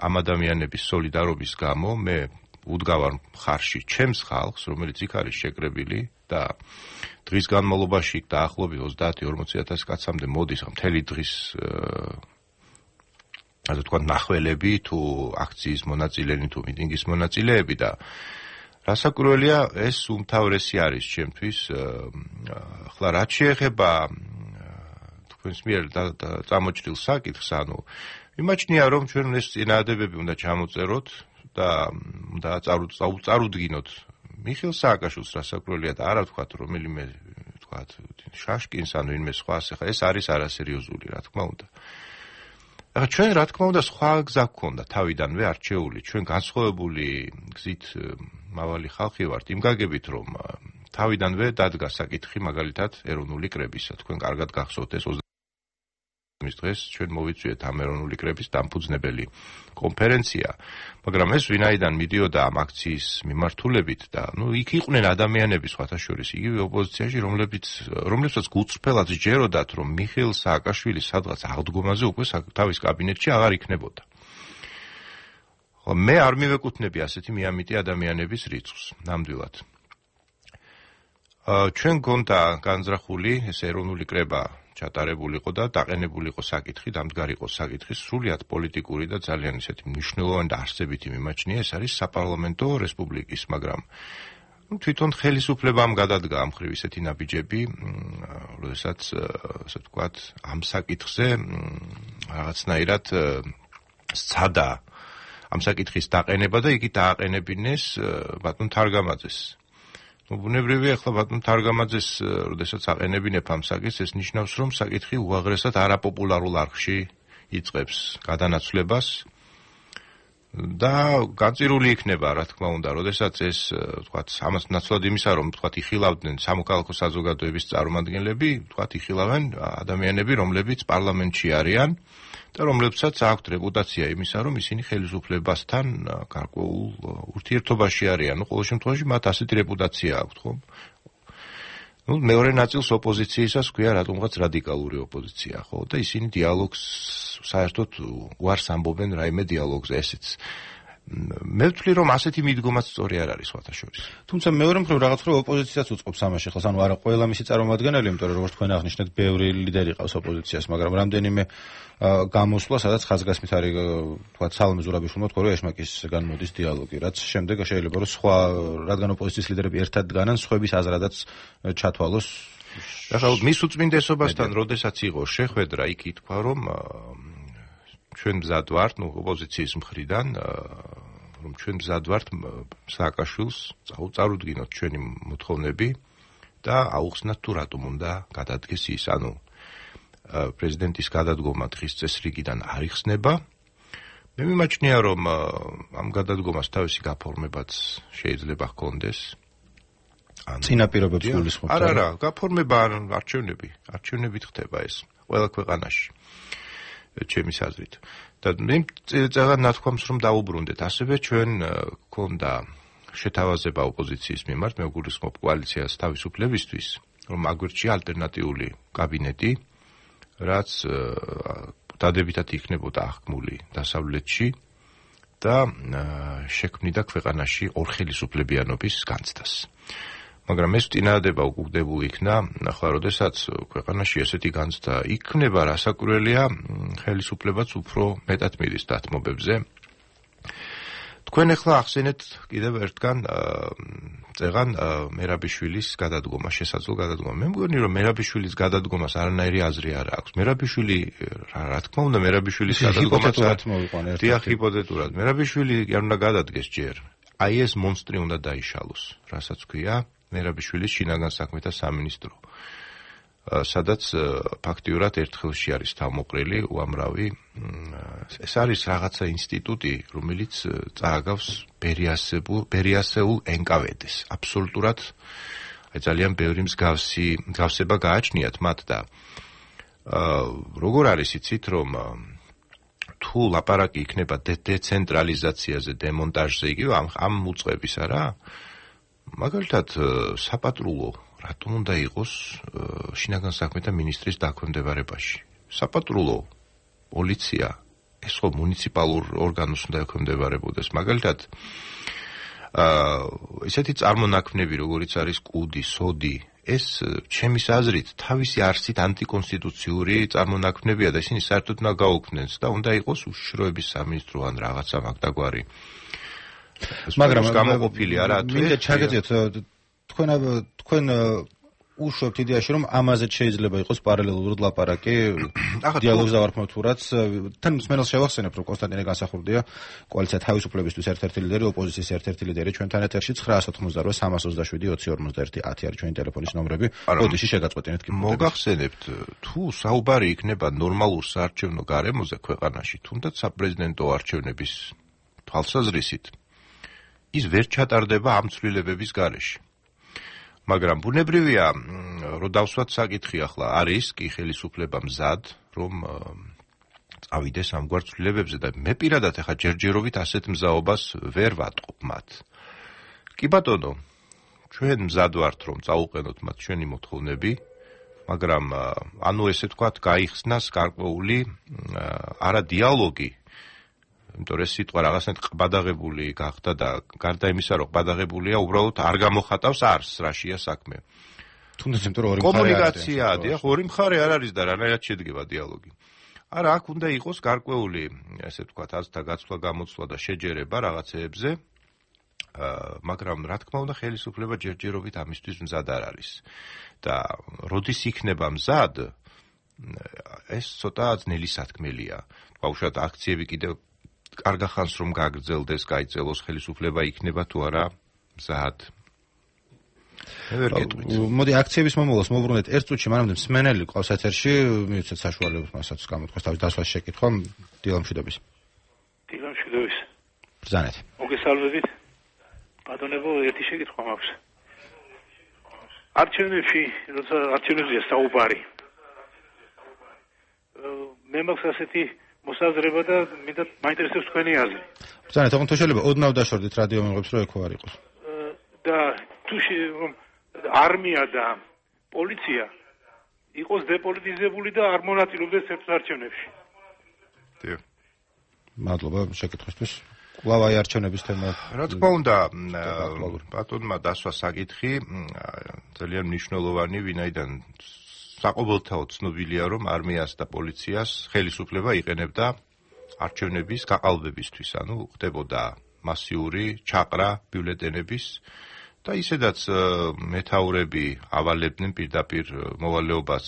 ამ ადამიანების სოლიდარობის გამო, მე უდგავარ მხარში ჩემს ხალხს, რომელიც იქ არის შეკრებილი და დღის განმავლობაში დაახლოებით 30-40,000 კაცამდე მოდის მთელი დღის ასე თქვა ნახველები თუ აქციის მონაწილენი თუ მიტინგის მონაწილეები და რასაკვირველია ეს უმთავრესი არის ჩემთვის. ახლა რაც შეეხება თქვენს მიერ წამოჭრილ საკითხს, ანუ მიმაჩნია რომ ჩვენ ეს წინააღმდეგობები უნდა ჩამოწეროთ და უნდა წარუდგინოთ მიხეილ სააკაშვილს, რასაკვირველია და არა ვთქვათ რომელიმე ვთქვათ შაშკინს ან ვინმე სხვას, ახლა ეს არის არასერიოზული, რა თქმა უნდა. ახლა ჩვენ რა თქმა უნდა სხვა გზა გქონდა თავიდანვე არჩეული, ჩვენ განსხვავებული გზით მავალი ხალხი ვართ, იმ გაგებით რომ თავიდანვე დადგა საკითხი მაგალითად ეროვნული კრებისა. თქვენ კარგად გახსოვთ ეს მის დღეს ჩვენ მოვიწვიეთ ამ ეროვნული კრების დამფუძნებელი კონფერენცია, მაგრამ ეს ვინაიდან მიდიოდა ამ აქციის მიმართულებით და იქ იყვნენ ადამიანები სხვათა შორის იგივე ოპოზიციაში, რომლებსაც გულწრფელად სჯეროდათ, რომ მიხეილ სააკაშვილი სადღაც აღდგომაზე უკვე თავის კაბინეტში აღარ იქნებოდა. მე არ მივეკუთვნები ასეთი მიამიტი ადამიანების რიცხვს, ნამდვილად. ჩვენ გონდა განზრახული ეს ეროვნული კრება ჩატარებულიყო და დაყენებულიყო საკითხი, დამდგარიყო საკითხი სრულიად პოლიტიკური და ძალიან ისეთი მნიშვნელოვანი და არსებითი მიმაჩნია, ეს არის საპარლამენტო რესპუბლიკის, მაგრამ თვითონ ხელისუფლებამ გადადგა ამ მხრივ ისეთი ნაბიჯები, როდესაც ასე ვთქვათ, ამ საკითხზე რაღაცნაირად სცადა ამ საკითხის დაყენება და იგი დააყენებინეს ბატონ თარგამაძეს. ბუნებრივია, ახლა ბატონ თარგამაძეს, როდესაც აყენებინებ ამ საკითხს, ეს ნიშნავს, რომ საკითხი უაღრესად არაპოპულარულ არხში იწყებს გადანაცვლებას და განწირული იქნება, რა თქმა უნდა, როდესაც ეს, ვთქვათ, ამას ნაცვლად იმისა, რომ ვთქვათ, იხილავდნენ სამოქალაქო საზოგადოების წარმომადგენლები, ვთქვათ, იხილავენ ადამიანები, რომლებიც პარლამენტში არიან და რომლებსაც აქვთ რეპუტაცია იმისა, რომ ისინი ხელისუფლებასთან გარკვეულ ურთიერთობაში არიან. ყოველ შემთხვევაში მათ ასეთი რეპუტაცია აქვთ, ხო? მეორე ნაწილს ოპოზიციისას ქვია რატომღაც რადიკალური ოპოზიცია, ხო? და ისინი დიალოგს საერთოდ უარს ამბობენ რაიმე დიალოგზე, ესეც. მე ვთვლი, რომ ასეთი მიდგომაც სწორი არ არის სხვათა შორის. თუმცა მეორე მხრივ რაღაც რო ოპოზიციაც უწყობს ამაში, ხო, ანუ არა ყველა მისი წარმომადგენელი, იმიტომ რომ როგორც თქვენ აღნიშნეთ, ბევრი ლიდერი ყავს ოპოზიციას, მაგრამ რამდენიმე გამოსვლა, სადაც ხაზგასმით არის, თქვა, სალომე ზურაბიშვილმა თქვა, რომ ეშმაკისგან მოდის დიალოგი, რაც შემდეგ შეიძლება რომ სხვა, რადგან ოპოზიციის ლიდერები ერთად დგანან, სხვების აზრადაც ჩათვალოს. ახლა მის უწმინდესობასთან როდესაც იყო შეხვედრა, იქ ითქვა, რომ ჩვენ მზად ვართ, ოპოზიციის მხრიდან, რომ ჩვენ მზად ვართ სააკაშვილს წარუდგინოთ ჩვენი მოთხოვნები და აუხსნათ თუ რატომ უნდა გადადგეს ის, ანუ პრეზიდენტის გადადგომა დღის წესრიგიდან არ იხსნება. მე მიმაჩნია, რომ ამ გადადგომას თავისი გაფორმებაც შეიძლება ჰქონდეს. წინა პირობებს გულისხმობთ? არა, გაფორმება არჩევნებით ხდება ეს ყველა ქვეყანაში. ჩემის აზრით. და მე წეღან ნათქვამს რომ დაუბრუნდეთ. ასევე ჩვენ გქონდა შეთავაზება ოპოზიციის მიმართ, მე გულისხმობ კოალიციას თავისუფლებისთვის, რომ აგვირჩია ალტერნატიული კაბინეტი, რაც დადებითად იქნებოდა აღქმული დასავლეთში და შექმნიდა ქვეყანაში ორხელისუფლებიანობის განცდას. მაგრამ ეს წინადადება უკუგდებული იქნა, ახლა როდესაც ქვეყანაში ესეთი განცდა იქნება, რასაკვირველია, ხელისუფლებაც უფრო მეტად მიდის დათმობებზე. თქვენ ახლა ახსენეთ კიდევ ერთგან წეღან მერაბიშვილის გადადგომა, შესაძლო გადადგომა. მე მგონი, რომ მერაბიშვილის გადადგომას არანაირი აზრი არ აქვს. მერაბიშვილი, რა თქმა უნდა, მერაბიშვილის გადადგომას დიახ, ჰიპოთეტურად. მერაბიშვილი არ უნდა გადადგეს ჯერ. აი ეს მონსტრი უნდა დაიშალოს, რასაც ქვია მერაბიშვილის შინაგან საქმეთა სამინისტრო, სადაც ფაქტიურად ერთხელში არის თავმოყრილი უამრავი. ეს არის რაღაცა ინსტიტუტი, რომელიც წააგავს ბერიასეულ NKVD-ს. აბსოლუტურად ძალიან ბევრი მსგავსება გააჩნიათ მათ და როგორ არის იცით, რომ თუ ლაპარაკი იქნება დეცენტრალიზაციაზე, დემონტაჟზე, იგივე ამ უწყების არა? მაგალითად, საპატრულო რატომ უნდა იყოს შინაგან საქმეთა ministris დაქვემდებარებაში? საპატრულო, პოლიცია, ეს ხო მუნიციპალურ ორგანოს უნდა ექვემდებარებოდეს. მაგალითად, ესეთი წარმონაქმნები, როგორიც არის კუდი, სოდი, ეს ჩემის აზრით თავისი არსით ანტიკონსტიტუციური წარმონაქმნებია და ისინი საერთოდ უნდა გაუქმნეს და უნდა იყოს უშიშროების სამინისტრო ან რაღაცა მაგდაგვარი. მაგრამ გამოყოფილი არა თუ მინდა ჩაგეძიოთ თქვენ უშვებთ იდეაში რომ ამაზეც შეიძლება იყოს პარალელურად ლაპარაკი დიალოგს დავარქმევ თუ რაც თან მსმენელს შევახსენებ რომ კონსტანტინე განსახურდია კოალიცია თავისუფლებისთვის ერთ-ერთი ლიდერი ოპოზიციის ერთ-ერთი ლიდერი ჩვენთან ეთერში 988-357-2051 არის ჩვენი ტელეფონის ნომრები ოდიში შეგაწყვეტინეთ კი მოგახსენებთ თუ საუბარი იქნება ნორმალურ საარჩევნო გარემოზე ქვეყანაში თუნდაც საპრეზიდენტო არჩევნების თვალსაზრისით ის ვერ ჩატარდება ამ ცვლილებების გარეშე. მაგრამ ბუნებრივია, რომ დავსვათ საკითხი ახლა არის კი ხელისუფლება მზად, რომ წავიდეს ამგვარ ცვლილებებზე და მე პირადად ახლა ჯერჯერობით ასეთ მზაობას ვერ ვატყობ მათ. კი ბატონო, ჩვენ მზად ვართ რომ წაუყენოთ მათ ჩვენი მოთხოვნები, მაგრამ ანუ ესე ვთქვათ, გაიხსნას გარკვეული არა დიალოგი იმიტომ რომ ეს სიტყვა რაღაცნაირად ყბადაღებული გახდა და გარდა იმისა რომ ყბადაღებულია უბრალოდ არ გამოხატავს არსს რაშია საქმე. თუნდაც იმიტომ რომ ორი მხარე კომუნიკაციაა, დიახ, ორი მხარე არ არის და რანაირად შედგება დიალოგი. არა, აქ უნდა იყოს გარკვეული, ესე ვთქვათ, აზრთა გაცვლა-გამოცვლა და შეჯერება რაღაცეებზე, მაგრამ რა თქმა უნდა ხელისუფლება ჯერჯერობით ამისთვის მზად არ არის. და როდის იქნება მზად, ეს ცოტა ძნელი სათქმელია. ბავშვად აქციები კიდევ კარგა ხანს რომ გაგრძელდეს, გაიწელოს ხელისუფლება იქნება თუ არა მზად. მოდი აქციების მომავალს მოვუბრუნდეთ ერთ წუთში, მანამდე მსმენელი ყავს ეთერში, მივიცეთ საშუალებას მასაც გამოთქვას თავის დასვას შეკითხვა დილამშვიდობის. დილამშვიდობის. ბრძანეთ. მოგესალმებით. ბატონებო, ერთი შეკითხვა მაქვს. არჩევნებში, როცა არჩევნებზეა საუბარი. მე მაქვს ასეთი მოსაზრება და მინდა მაინტერესებს თქვენი აზრი. ბრძანა, თქო თუ შეიძლება ოდნავ დაშორდით რადიო მიღებს რომ ეკო არ იყოს. და თუ არმია და პოლიცია იყოს დეპოლიტიზებული და არ მონაწილეობდეს საერთაშორისო. დიახ. მადლობა შეკითხვისთვის. კვლავ აი არჩევნების თემა. რა თქმა უნდა, ბატონმა დასვა საკითხი ძალიან მნიშვნელოვანი, ვინაიდან საყოველთაოდ ცნობილია, რომ არმიას და პოლიციას ხელისუფლება იყენებდა არჩევნების გაყალბებისთვის, ანუ ხდებოდა მასიური ჩაყრა ბიულეტენების და ისედაც მეთაურები ავალებდნენ პირდაპირ მოვალეობას,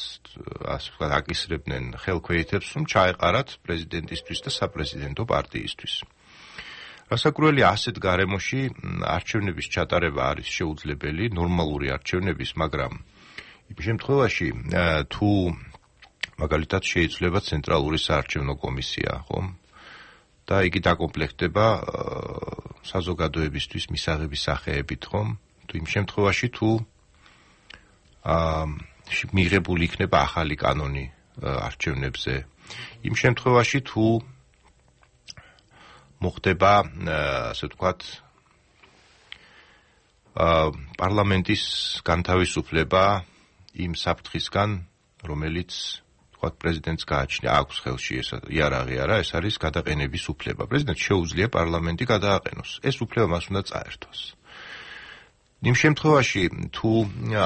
ასე ვთქვათ, აკისრებდნენ ხელქვეითებს, რომ ჩაეყარათ პრეზიდენტისთვის და საპრეზიდენტო პარტიისთვის. რასაკვირველი ასეთ გარემოში არჩევნების ჩატარება არის შეუძლებელი, ნორმალური არჩევნების, მაგრამ იმ შემთხვევაში თუ მაგალითად შეიძლება ცენტრალური საარჩევნო კომისია, ხომ? და იგი დაკომპლექტდება საზოგადოებისთვის მისაღების სახეებით, ხომ? თუ იმ შემთხვევაში თუ მიღებული იქნება ახალი კანონი არჩევნებზე, იმ შემთხვევაში თუ მოხდება, ასე ვთქვათ, პარლამენტის განთავისუფლება იმ საფრთხისგან, რომელიც ვთქვათ პრეზიდენტს გააჩნია, აქვს ხელში ეს იარაღი არა, ეს არის გადაყენების უფლება. პრეზიდენტს შეუძლია პარლამენტი გადააყენოს. ეს უფლება მას უნდა წაერთოს. იმ შემთხვევაში თუ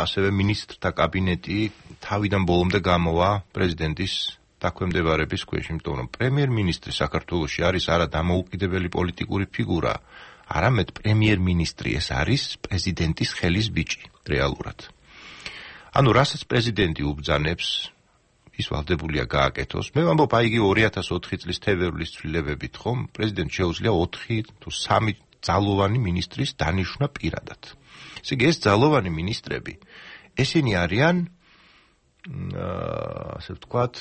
ასევე მინისტრთა კაბინეტი თავიდან ბოლომდე გამოვა პრეზიდენტის დაქვემდებარების ქვეშ, იმიტომ რომ პრემიერ-მინისტრი საქართველოში არის არა დამოუკიდებელი პოლიტიკური ფიგურა, არამედ პრემიერ-მინისტრი, ეს არის პრეზიდენტის ხელის ბიჭი, რეალურად. ანუ რასაც პრეზიდენტი უბრძანებს, ის ვალდებულია გააკეთოს. მე ვამბობ, აი იგი 2004 წლის თებერვლის ცვლილებებით, ხომ, პრეზიდენტს შეუძლია 4 თუ 3 ძალოვანი მინისტრის დანიშვნა პირადად. ესე იგი, ეს ძალოვანი მინისტრები, ესენი არიან ასე ვთქვათ,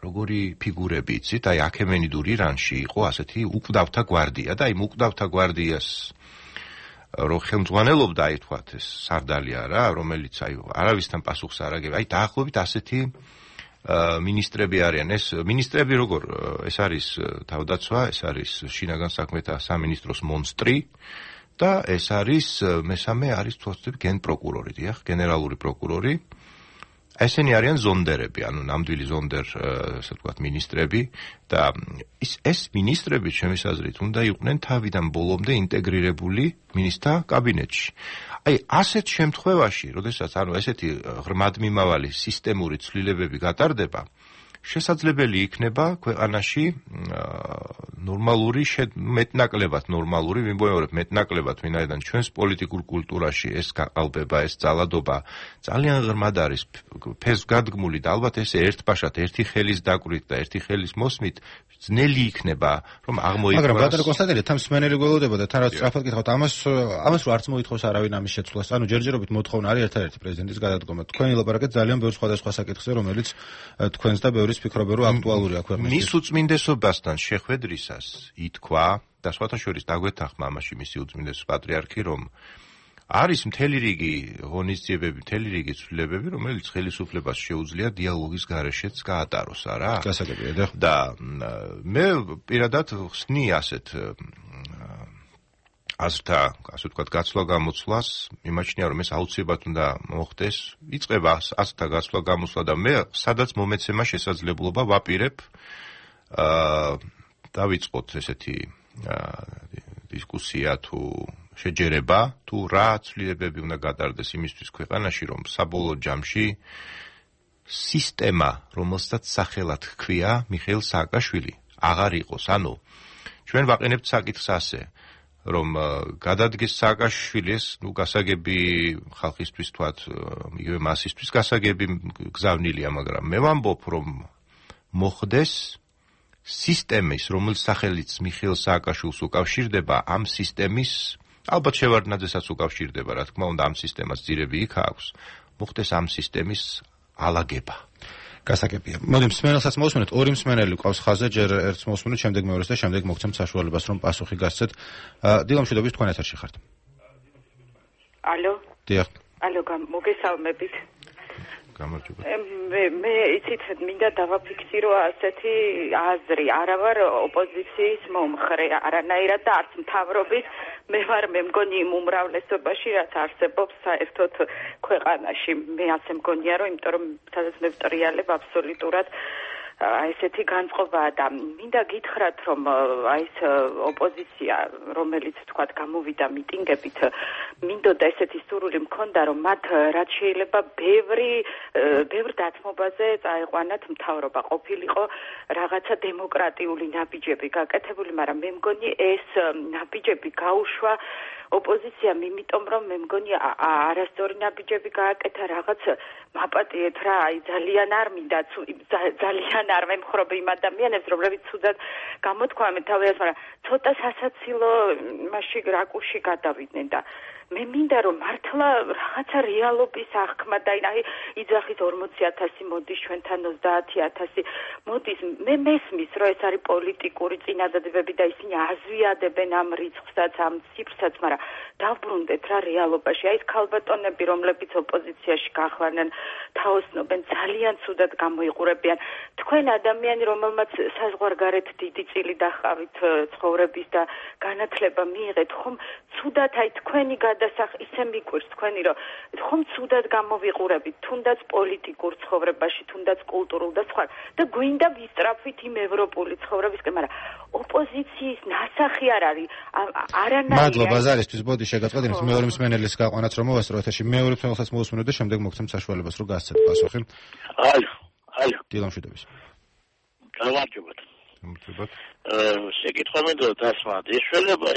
როგორი ფიგურები იცით, აი აქემენიდურ ირანში იყო ასეთი უკვდავთა გვარდია და აი უკვდავთა გვარდიას რო ხელმძღვანელობდა, აი ვთქვათ, ეს სარდალი არა, რომელიც აი არავისთან პასუხს არ აგება. აი დაახლოებით ასეთი მინისტრები არიან. ეს მინისტრები როგორ, ეს არის თავდაცვა, ეს არის შინაგან საქმეთა სამინისტროს მონსტრი და ეს არის მესამე არის თვალწინ გენპროკურორი, დიახ, გენერალური პროკურორი. ესენი არიან ზონდერები, ანუ ნამდვილი ზონდერ, ასე ვთქვათ, მინისტრები და ეს მინისტრები, ჩემის აზრით, უნდა იყვნენ თავიდან ბოლომდე ინტეგრირებული მინისტრთა კაბინეტში. აი, ასეთ შემთხვევაში, როდესაც ანუ ესეთი ღრმადმიმავალი სისტემური ცვლილებები გატარდება, შესაძლებელი იქნება ქვეყანაში ნორმალური, მეტნაკლებად ნორმალური, ვიმეორებ, მეტნაკლებად, ვინაიდან ჩვენს პოლიტიკურ კულტურაში ეს გაყალბება, ეს ძალადობა ძალიან ღრმად არის ფესვგადგმული და ალბათ ესე ერთბაშად, ერთი ხელის დაკვირით და ერთი ხელის მოსმით ძნელი იქნება, რომ აღმოიყვანოს. მაგრამ ბატონო კონსტანტინე, თან მსმენელი გველოდება და თან რაც სწრაფად გითხავთ, ამას რო არც მოითხოვს არავინ ამის შეცვლას. ანუ ჯერჯერობით მოთხოვნა არის ერთადერთი პრეზიდენტის გადადგომა. თქვენი ლაპარაკეთ ძალიან ბევრ სხვადასხვა საკითხზე, რომელიც თქვენს და ბევრის ფიქრობენ, რომ აქტუალურია ქვეყნის. მის უწმინდესობასთან შეხვედრისას ითქვა და სხვათა შორის დაგვეთანხმა ამაში მისი უწმინდესობის პატრიარქი, რომ არის მთელი რიგი ღონისძიებები, მთელი რიგი ცვლილებები, რომელიც ხელისუფლებას შეუძლია დიალოგის გარეშეც გაატაროს, არა? გასაგებია და მე პირადად ხსნი ასეთ აზრთა, ასე ვთქვათ, გაცვლა-გამოცვლას, მიმაჩნია, რომ ეს აუცილებლად უნდა მოხდეს. იწყება აზრთა გაცვლა-გამოცვლა და მე სადაც მომეცემა შესაძლებლობა ვაპირებ დავიწყოთ ესეთი დისკუსია თუ შეჯერება, თუ რა ცვლილებები უნდა გატარდეს იმისთვის ქვეყანაში, რომ საბოლოო ჯამში სისტემა, რომელსაც სახელად ჰქვია მიხეილ სააკაშვილი, აღარ იყოს. ანუ ჩვენ ვაყენებთ საკითხს ასე, რომ გადადგეს სააკაშვილის, გასაგები ხალხისთვის თქვათ, იგივე მასისთვის გასაგები გზავნილია, მაგრამ მე ვამბობ, რომ მოხდეს სისტემის, რომელიც სახელიც მიხეილ სააკაშვილს უკავშირდება, ამ სისტემის, ალბათ შევარდნაძესაც უკავშირდება, რა თქმა უნდა, ამ სისტემას ძირები იქ აქვს, მოხდეს ამ სისტემის ალაგება. გასაგებია. მოდი მსმენელსაც მოვსმენთ, ორი მსმენელი ყავს ხაზზე, ჯერ ერთს მოვსმენთ, შემდეგ მეორეს და შემდეგ მოგცემთ საშუალებას, რომ პასუხი გასცეთ. დილა მშვიდობის, თქვენ ეთერში ხართ. ალო. დიახ. ალო, მოგესალმებით. გამარჯობა. მე იცით მინდა დავაფიქსირო ასეთი აზრი, არა ვარ ოპოზიციის მომხრე, არანაირად და არც მთავრობის, მე ვარ მე მგონი იმ უმრავლესობაში, რაც არსებობს საერთოდ ქვეყანაში. მე ასე მგონია, რომ იმიტომ რომ სადაც მე ვტრიალებ აბსოლუტურად ესეთი განწყობაა და მინდა გითხრათ, რომ აი ეს ოპოზიცია, რომელიც თქვათ გამოვიდა მიტინგებით, მინდოდა ესეთი სურვილი მქონდა, რომ მათ რაც შეიძლება ბევრ დათმობაზე წაეყვანათ მთავრობა, ყოფილიყო რაღაცა დემოკრატიული ნაბიჯები გაკეთებული, მაგრამ მე მგონი ეს ნაბიჯები გაუშვა ოპოზიციამ, იმიტომ რომ მე მგონი არასწორი ნაბიჯები გააკეთა, რაღაც მაპატიეთ რა, აი ძალიან არ მინდა, ძალიან არ მემხრობ იმ ადამიანებს, რომლებიც ცუდად გამოთქვამენ თავიანთ, მაგრამ ცოტა სასაცილო მასში რაკურსში გადავიდნენ და მე მინდა რომ მართლა რაღაცა რეალობის აღქმა და აი იძახის 40,000 მოდის ჩვენთან 30,000 მოდის, მე მესმის რომ ეს არის პოლიტიკური წინადადებები და ისინი აზვიადებენ ამ რიცხვსაც, ამ ციფრსაც, მაგრამ დავბრუნდეთ რა რეალობაში. აი ეს ქალბატონები, რომლებიც ოპოზიციაში გახვარნენ, თაოსნობენ, ძალიან ცუდად გამოიყურებიან. თქვენ ადამიანი, რომელმაც საზღვარგარეთ დიდი წილი დაჰყავით ცხოვრების და განათლება მიიღეთ, ხომ ცუდად აი თქვენი ისე მიკვირს თქვენი, რომ ხომ ცუდად გამოვიყურებით, თუნდაც პოლიტიკურ ცხოვრებაში, თუნდაც კულტურულ და სხვა და გვინდა ვისწრაფვით იმ ევროპული ცხოვრებისკენ, მაგრამ ოპოზიციის ნასახი არ არის არანაირი. მადლობა ზარისთვის, ბოდი შეგაწყვეტინებთ მეორე მსმენელის გაყვანაც რომ მოვასწრო ეთერში, მეორე მსმენელსაც მოვუსმინოთ და შემდეგ მოგცემთ საშუალებას რომ გასცეთ პასუხი. ალო. დილამშვიდობის. გამარჯობათ. გამარჯობათ. შეკითხვა მინდოდა დასმათ. ეშველება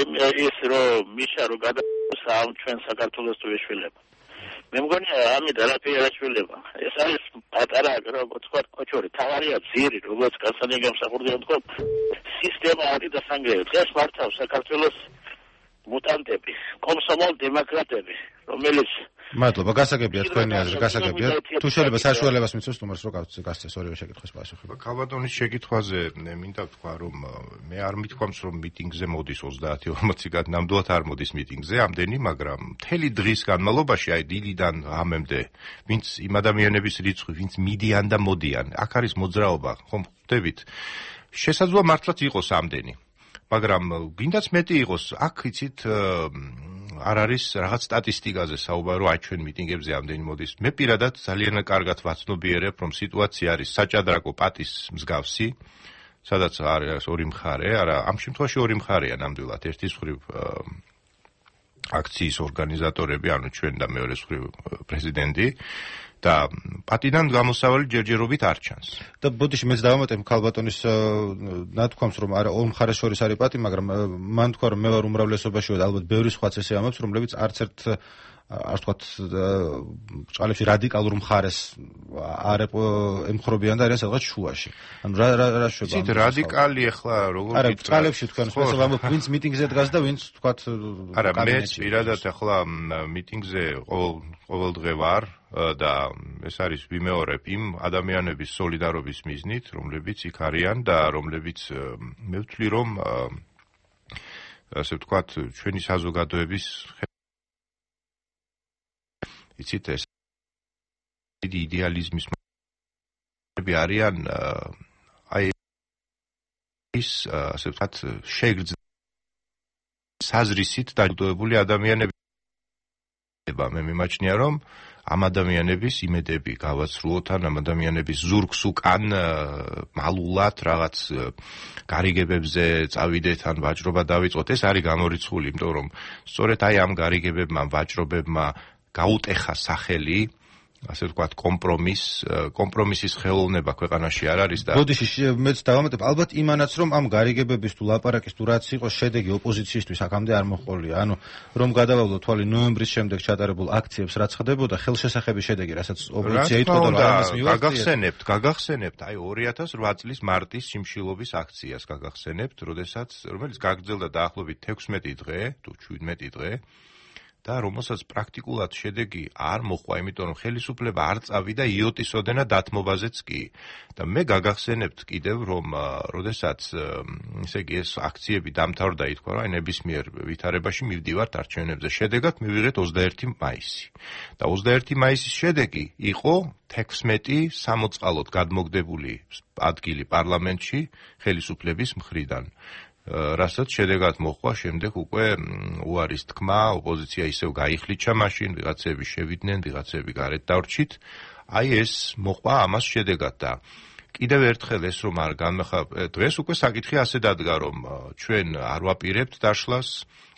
ის რომ მიშა რომ გადაგვს ამ ჩვენ საქართველოს თუ ეშველება. მე მგონი ამით არაფერი არ ეშველება. ეს არის პატარა როგორც თქვა კოჩორი, თავარია ძირი, როგორც კაცანი გამსახურდია თქო. სისტემა არის დასანგრევი. დღეს მართავს საქართველოს მუტანტები, კომსომოლ დემოკრატები, რომელიც მადლობა, გასაგებია თქვენი აზრი, გასაგებია. თუ შეიძლება საშუალებას მიცოს თუმარს რომ გასცეს ორივე შეკითხვის პასუხი. ქალბატონის შეკითხვაზე მინდა ვთქვა, რომ მე არ მithქვამს, რომ მიტინგზე მოდის 30-40 კაცი, ნამდვილად არ მოდის მიტინგზე ამდენი, მაგრამ მთელი დღის განმავლობაში, აი დილიდან ღამემდე, ვინც იმ ადამიანების რიცხვი, ვინც მიდიან და მოდიან, აქ არის მოძრაობა, ხომ ხვდებით? შესაძლოა მართლაც იყოს ამდენი. მაგრამ გინდაც მეტი იყოს, აქ იცით არ არის რაღაც სტატისტიკაზე საუბარი, აი ჩვენ მიტინგებზე ამდენი მოდის. მე პირადად ძალიან კარგად ვაცნობიერებ, რომ სიტუაცია არის საჭადრაკო პატის მსგავსი, სადაც არის ორი მხარე, არა, ამ შემთხვევაში ორი მხარეა ნამდვილად, ერთის მხრივ აქციის ორგანიზატორები, ანუ ჩვენ და მეორე მხრივ პრეზიდენტი. და პატიდან გამოსავალი ჯერჯერობით არ ჩანს. და ბოდიში მეც დავამატებ ქალბატონის ნათქვამს, რომ არა ორ მხარეს შორის არის პატი, მაგრამ მან თქვა, რომ მე ვარ უმრავლესობაში და ალბათ ბევრი სხვაც ესე ამბობს, რომლებიც არც ერთ არ ვთქვათ ბრჭყალებში რადიკალურ მხარეს არ ემხრობიან და არიან სადღაც შუაში. ანუ რა შვება? იცით რადიკალი ახლა როგორ არა ბრჭყალებში თქვენ შესაძლოა ამბობ ვინც მიტინგზე დგას და ვინც თქვათ არა მე პირადად ახლა მიტინგზე ყოველ დღე ვარ და ეს არის ვიმეორებ იმ ადამიანების სოლიდარობის მიზნით, რომლებიც იქ არიან და რომლებიც მე ვთვლი რომ ასე ვთქვათ ჩვენი საზოგადოების იცით ეს დიდი იდეალიზმის მები არიან აი ის ასე ვთქვათ შეგრძნილი საზრისით დაჯილდოებული ადამიანები. მე მიმაჩნია რომ ამ ადამიანების იმედები გავაცრუოთ ან ამ ადამიანების ზურგს უკან მალულად რაღაც გარიგებებზე წავიდეთ ან ვაჭრობა დავიწყოთ, ეს არის გამორიცხული, იმიტომ რომ სწორედ აი ამ გარიგებებმა, ვაჭრობებმა გაუტეხა სახელი, ასე ვთქვათ, კომპრომისის ხელოვნება ქვეყანაში არ არის და ბოდიში მეც დავამატებ, ალბათ იმანაც რომ ამ გარიგებების თუ ლაპარაკის თუ რაც იყო შედეგი ოპოზიციისთვის აქამდე არ მოჰყოლია. ანუ რომ გადავავლო თვალი ნოემბრის შემდეგ ჩატარებულ აქციებს რაც ხდებოდა, ხელშესახების შედეგი, რასაც ოპოზიცია იტყოდა და ამას მივახციეთ. გაგახსენებთ, აი 2008 წლის მარტის შიმშილობის აქციას გაგახსენებთ, რომელიც გაგრძელდა დაახლოებით 16 დღე თუ 17 დღე. და რომელსაც პრაქტიკულად შედეგი არ მოხდა, იმიტომ რომ ხელისუფლება არ წავიდა იოტის ოდენა დათმობაზეც კი. და მე გაგახსენებთ კიდევ, რომ როდესაც ესე იგი ეს აქციები დამთავრდა, ითქვა, რომ ნებისმიერ ვითარებაში მივდივართ არჩევნებზე. შედეგად მივიღეთ 21 მაისი. და 21 მაისის შედეგი იყო 16 სამოწყალოდ გადმოგდებული ადგილი პარლამენტში ხელისუფლების მხრიდან. რასაც შედეგად მოხდა შემდეგ უკვე უარის თქმა, ოპოზიცია ისევ გაიხლიჩა მაშინ, ვიღაცები შევიდნენ, ვიღაცები გარეთ დავრჩით. აი ეს მოხდა ამას შედეგად და კიდევ ერთხელ ეს რომ არ დღეს უკვე საკითხი ასე დადგა, რომ ჩვენ არ ვაპირებთ დაშლას,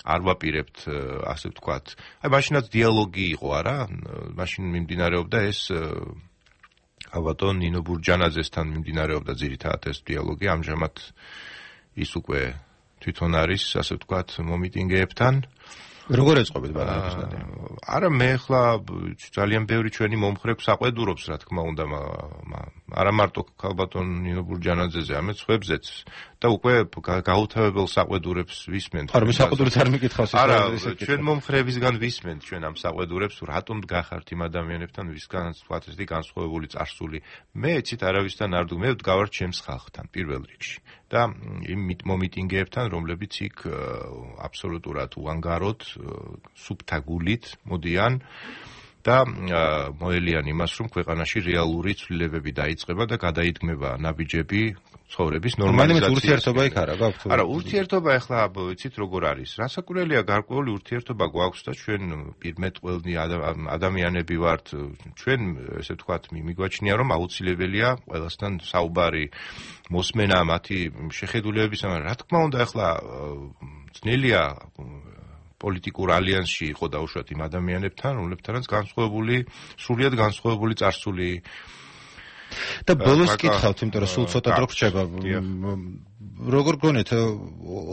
არ ვაპირებთ ასე ვთქვათ. აი მაშინაც დიალოგი იყო, არა? მაშინ მიმდინარეობდა ეს ალბათონ ნინო ბურჯანაძესთან მიმდინარეობდა ძირითადად ეს დიალოგი, ამჟამად ის უკვე თვითონ არის, ასე ვთქვათ, მომიტინგეებთან. როგორ ეწყობეთ ბარნაბას ნადია? არა, მე ახლა ძალიან ბევრი ჩვენი მომხრე საყვედურობს, რა თქმა უნდა, არა მარტო ალბათონ ნინო ბურჯანაძეზე, ამეთ სხვებზეც და უკვე გაუთავებელ საყვედურებს ვისმენთ. არა, მე საყვედურებს არ მიკითხავს ის. არა, ჩვენ მომხრეებისგან ვისმენთ ჩვენ ამ საყვედურებს, რატომ გახართ იმ ადამიანებთან, ვისგანაც ვთქვათ ესეთი განსხვავებული წარსული. მე ეცით არავისთან არ ვდგ, მე ვდგავარ ჩემს ხალხთან პირველ რიგში. და იმ მომიტინგეებთან, რომლებიც იქ აბსოლუტურად უანგაროდ, სუფთა გულით მოდიან და მოელიან იმას, რომ ქვეყანაში რეალური ცვლილებები დაიწყება და გადაიდგმება ნაბიჯები ცხოვრების ნორმალიზაციის. ურთიერთობა იქ არა გაქვთ? არა, ურთიერთობა ახლა იცით როგორ არის. რასაკვირველია, გარკვეული ურთიერთობა გვაქვს და ჩვენ პირმეტყველნი ადამიანები ვართ. ჩვენ ესე ვთქვათ, მიგვაჩნია, რომ აუცილებელია ყველასთან საუბარი, მოსმენა, მათი შეხედულებების, რა თქმა უნდა, ახლა ძნელია პოლიტიკურ ალიანსში იყო დაუშვათ იმ ადამიანებთან, რომლებთანაც სრულიად განსხვავებული წარსული. და ბოლოს კითხავთ, იმიტომ რომ სულ ცოტა დრო გრჩება. როგორ გონეთ,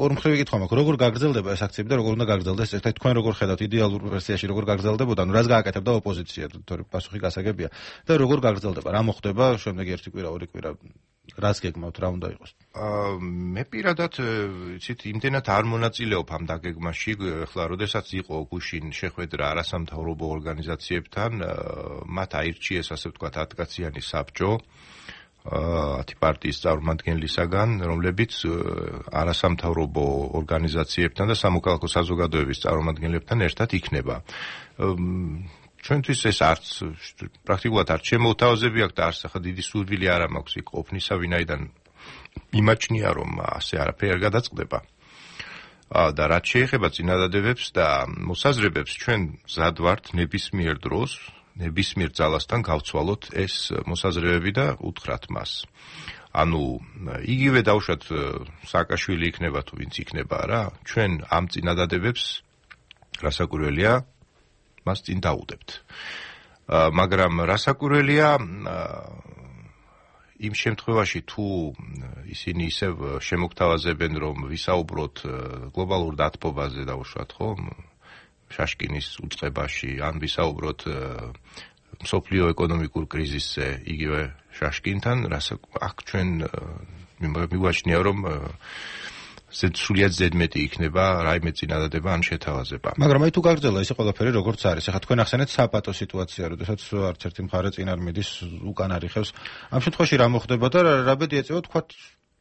ორმხრივი კითხვა მაქვს, როგორ გაგრძელდება ეს აქციები და როგორ უნდა გაგრძელდეს ეს? თქვენ როგორ ხედავთ იდეალურ ვერსიაში როგორ გაგრძელდებოდა? ნუ რას გააკეთებდა ოპოზიცია, თორემ პასუხი გასაგებია. და როგორ გაგრძელდება? რა მოხდება შემდეგი ერთი კვირა, ორი კვირა? რას გეგმავთ, რა უნდა იყოს? მე პირადად იცით, იმდენად არ მონაწილეობ ამ დაგეგმაში, ახლა როდესაც იყო გუშინ შეხვედრა არასამთავრობო ორგანიზაციებთან, მათ აირჩიეს ასე ვთქვათ 10 კაციანი საბჭო 10 პარტიის წარმომადგენლისაგან, რომლებიც არასამთავრობო ორგანიზაციებთან და სამოქალაქო საზოგადოების წარმომადგენლებთან ერთად იქნება. ჩვენთვის ეს არც პრაქტიკულად არ შემოუთავაზები აქვს და არც ახლა დიდი სურვილი არ მაქვს იქ ყოფნისა, ვინაიდან იმაჩნია, რომ ასე არაფერი არ გადაწყდება. და რაც შეეხება წინადადებებს და მოსაზრებებს, ჩვენ მზად ვართ ნებისმიერ დროს, ნებისმიერ ძალასთან გავცვალოთ ეს მოსაზრებები და უთხრათ მას. ანუ იგივე დავუშვათ სააკაშვილი იქნება თუ ვინც იქნება რა, ჩვენ ამ წინადადებებს რასაკვირველია მას წინ დაუდებთ. მაგრამ რასაკვირველია იმ შემთხვევაში თუ ისინი ისევ შემოგთავაზებენ რომ ვისაუბროთ გლობალურ დათბობაზე დავუშვათ ხო შაშკინის უწყებაში ან ვისაუბროთ მსოფლიო ეკონომიკურ კრიზისზე იგივე შაშკინთან აქ ჩვენ მივაჩნია რომ სრულიად ზედმეტი იქნება რაიმე წინადადება ან შეთავაზება. მაგრამ აი თუ გაგრძელდა ესე ყველაფერი როგორც არის, ახლა თქვენ ახსენეთ საპატო სიტუაცია, როდესაც არც ერთი მხარე წინ არ მიდის, უკან არ იხევს. ამ შემთხვევაში რა მოხდება და რა ბედი ეწევა თქვათ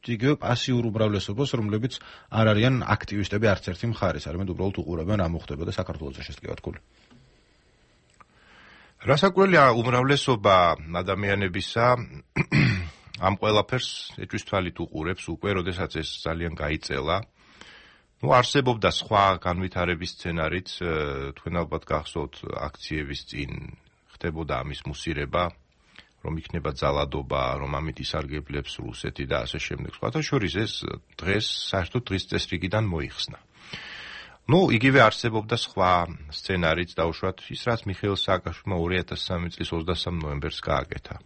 იგივე პასიურ უმრავლესობას, რომლებიც არ არიან აქტივისტები არც ერთი მხარის, არამედ უბრალოდ უყურებენ რა მოხდება და საქართველოს შესტკივართკული. რასაკვირველია უმრავლესობა ადამიანებისა ამ ყველაფერს ეჭვის თვალით უყურებს უკვე, როდესაც ეს ძალიან გაიწელა. არსებობდა სხვა განვითარების სცენარიც, თქვენ ალბათ გახსოვთ აქციების წინ ხდებოდა ამის მუსირება, რომ იქნება ძალადობა, რომ ამით ისარგებლებს რუსეთი და ასე შემდეგ. სხვათა შორის ეს დღეს საერთოდ დღის წესრიგიდან მოიხსნა. იგივე არსებობდა სხვა სცენარიც, დავუშვათ ის, რაც მიხეილ სააკაშვილმა 2003 წლის 23 ნოემბერს გააკეთა.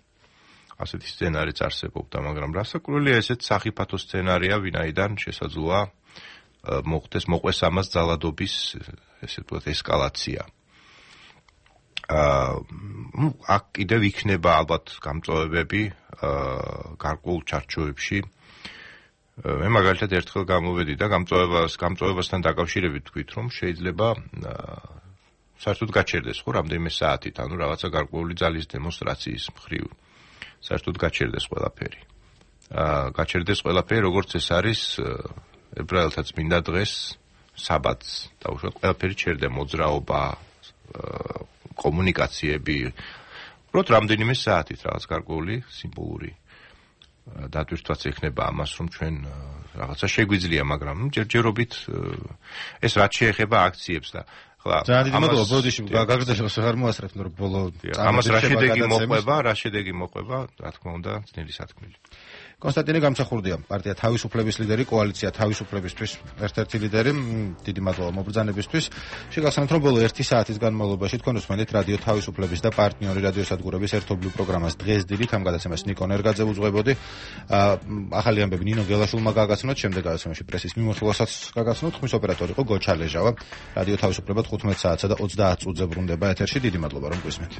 ასეთი სცენარიც არსებობდა, მაგრამ რასაკვირველია ესეც სახიფათო სცენარია, ვინაიდან შესაძლოა მოხდეს მოყვეს ამას ძალადობის ესე ვთქვათ ესკალაცია. აქ კიდევ იქნება ალბათ გამწვევებები გარკვეულ ჩარჩოებში. მე მაგალითად ერთხელ გამოვედი და გამწვევასთან დაკავშირებით თქვით, რომ შეიძლება საერთოდ გაჩერდეს ხო რამდენიმე საათით, ანუ რაღაცა გარკვეული ძალის დემონსტრაციის მხრივ საერთოდ გაჩერდეს ყველაფერი. გაჩერდეს ყველაფერი, როგორც ეს არის ებრაელთა წმინდა დღეს, საბათს, დაუშვათ ყველაფერი ჩერდა, მოძრაობა, კომუნიკაციები, უბრალოდ რამდენიმე საათით რაღაც გარკვეული სიმბოლური დატვირთვაც ეხნება ამას, რომ ჩვენ რაღაცა შეგვიძლია, მაგრამ ჯერჯერობით ეს რაც შეეხება აქციებს და ძალიან დიდი მადლობა ბოდიში გაგრძელოს არ მოასწრებთ რომ ბოლო ამას რა შედეგი მოყვება, რა თქმა უნდა, ძნელი სათქმელი. კონსტანტინე გამსახურდია, პარტია თავისუფლების ლიდერი, კოალიცია თავისუფლებისთვის ერთ-ერთი ლიდერი. დიდი მადლობა მობრძანებისთვის. შეგახსენებთ, რომ ბოლო 1 საათის განმავლობაში თქვენ უსმენთ რადიო თავისუფლების და პარტნიორი რადიოსადგურების ერთობლივ პროგრამას დღეს დილით, ამ გადაცემას ნიკო ნერგაძე უძღვებოდი. ახალი ამბები ნინო გელაშვილმა გაგაცნოთ, შემდეგ გადაცემაში პრესის მიმოხილვასაც გაგაცნოთ. ხმის ოპერატორი იყო გოჩა ლეჟავა. რადიო თავისუფლება 15 საათსა და 30 წუთზე ბრუნდება ეთერში. დიდი მადლობა რომ გვისმენთ.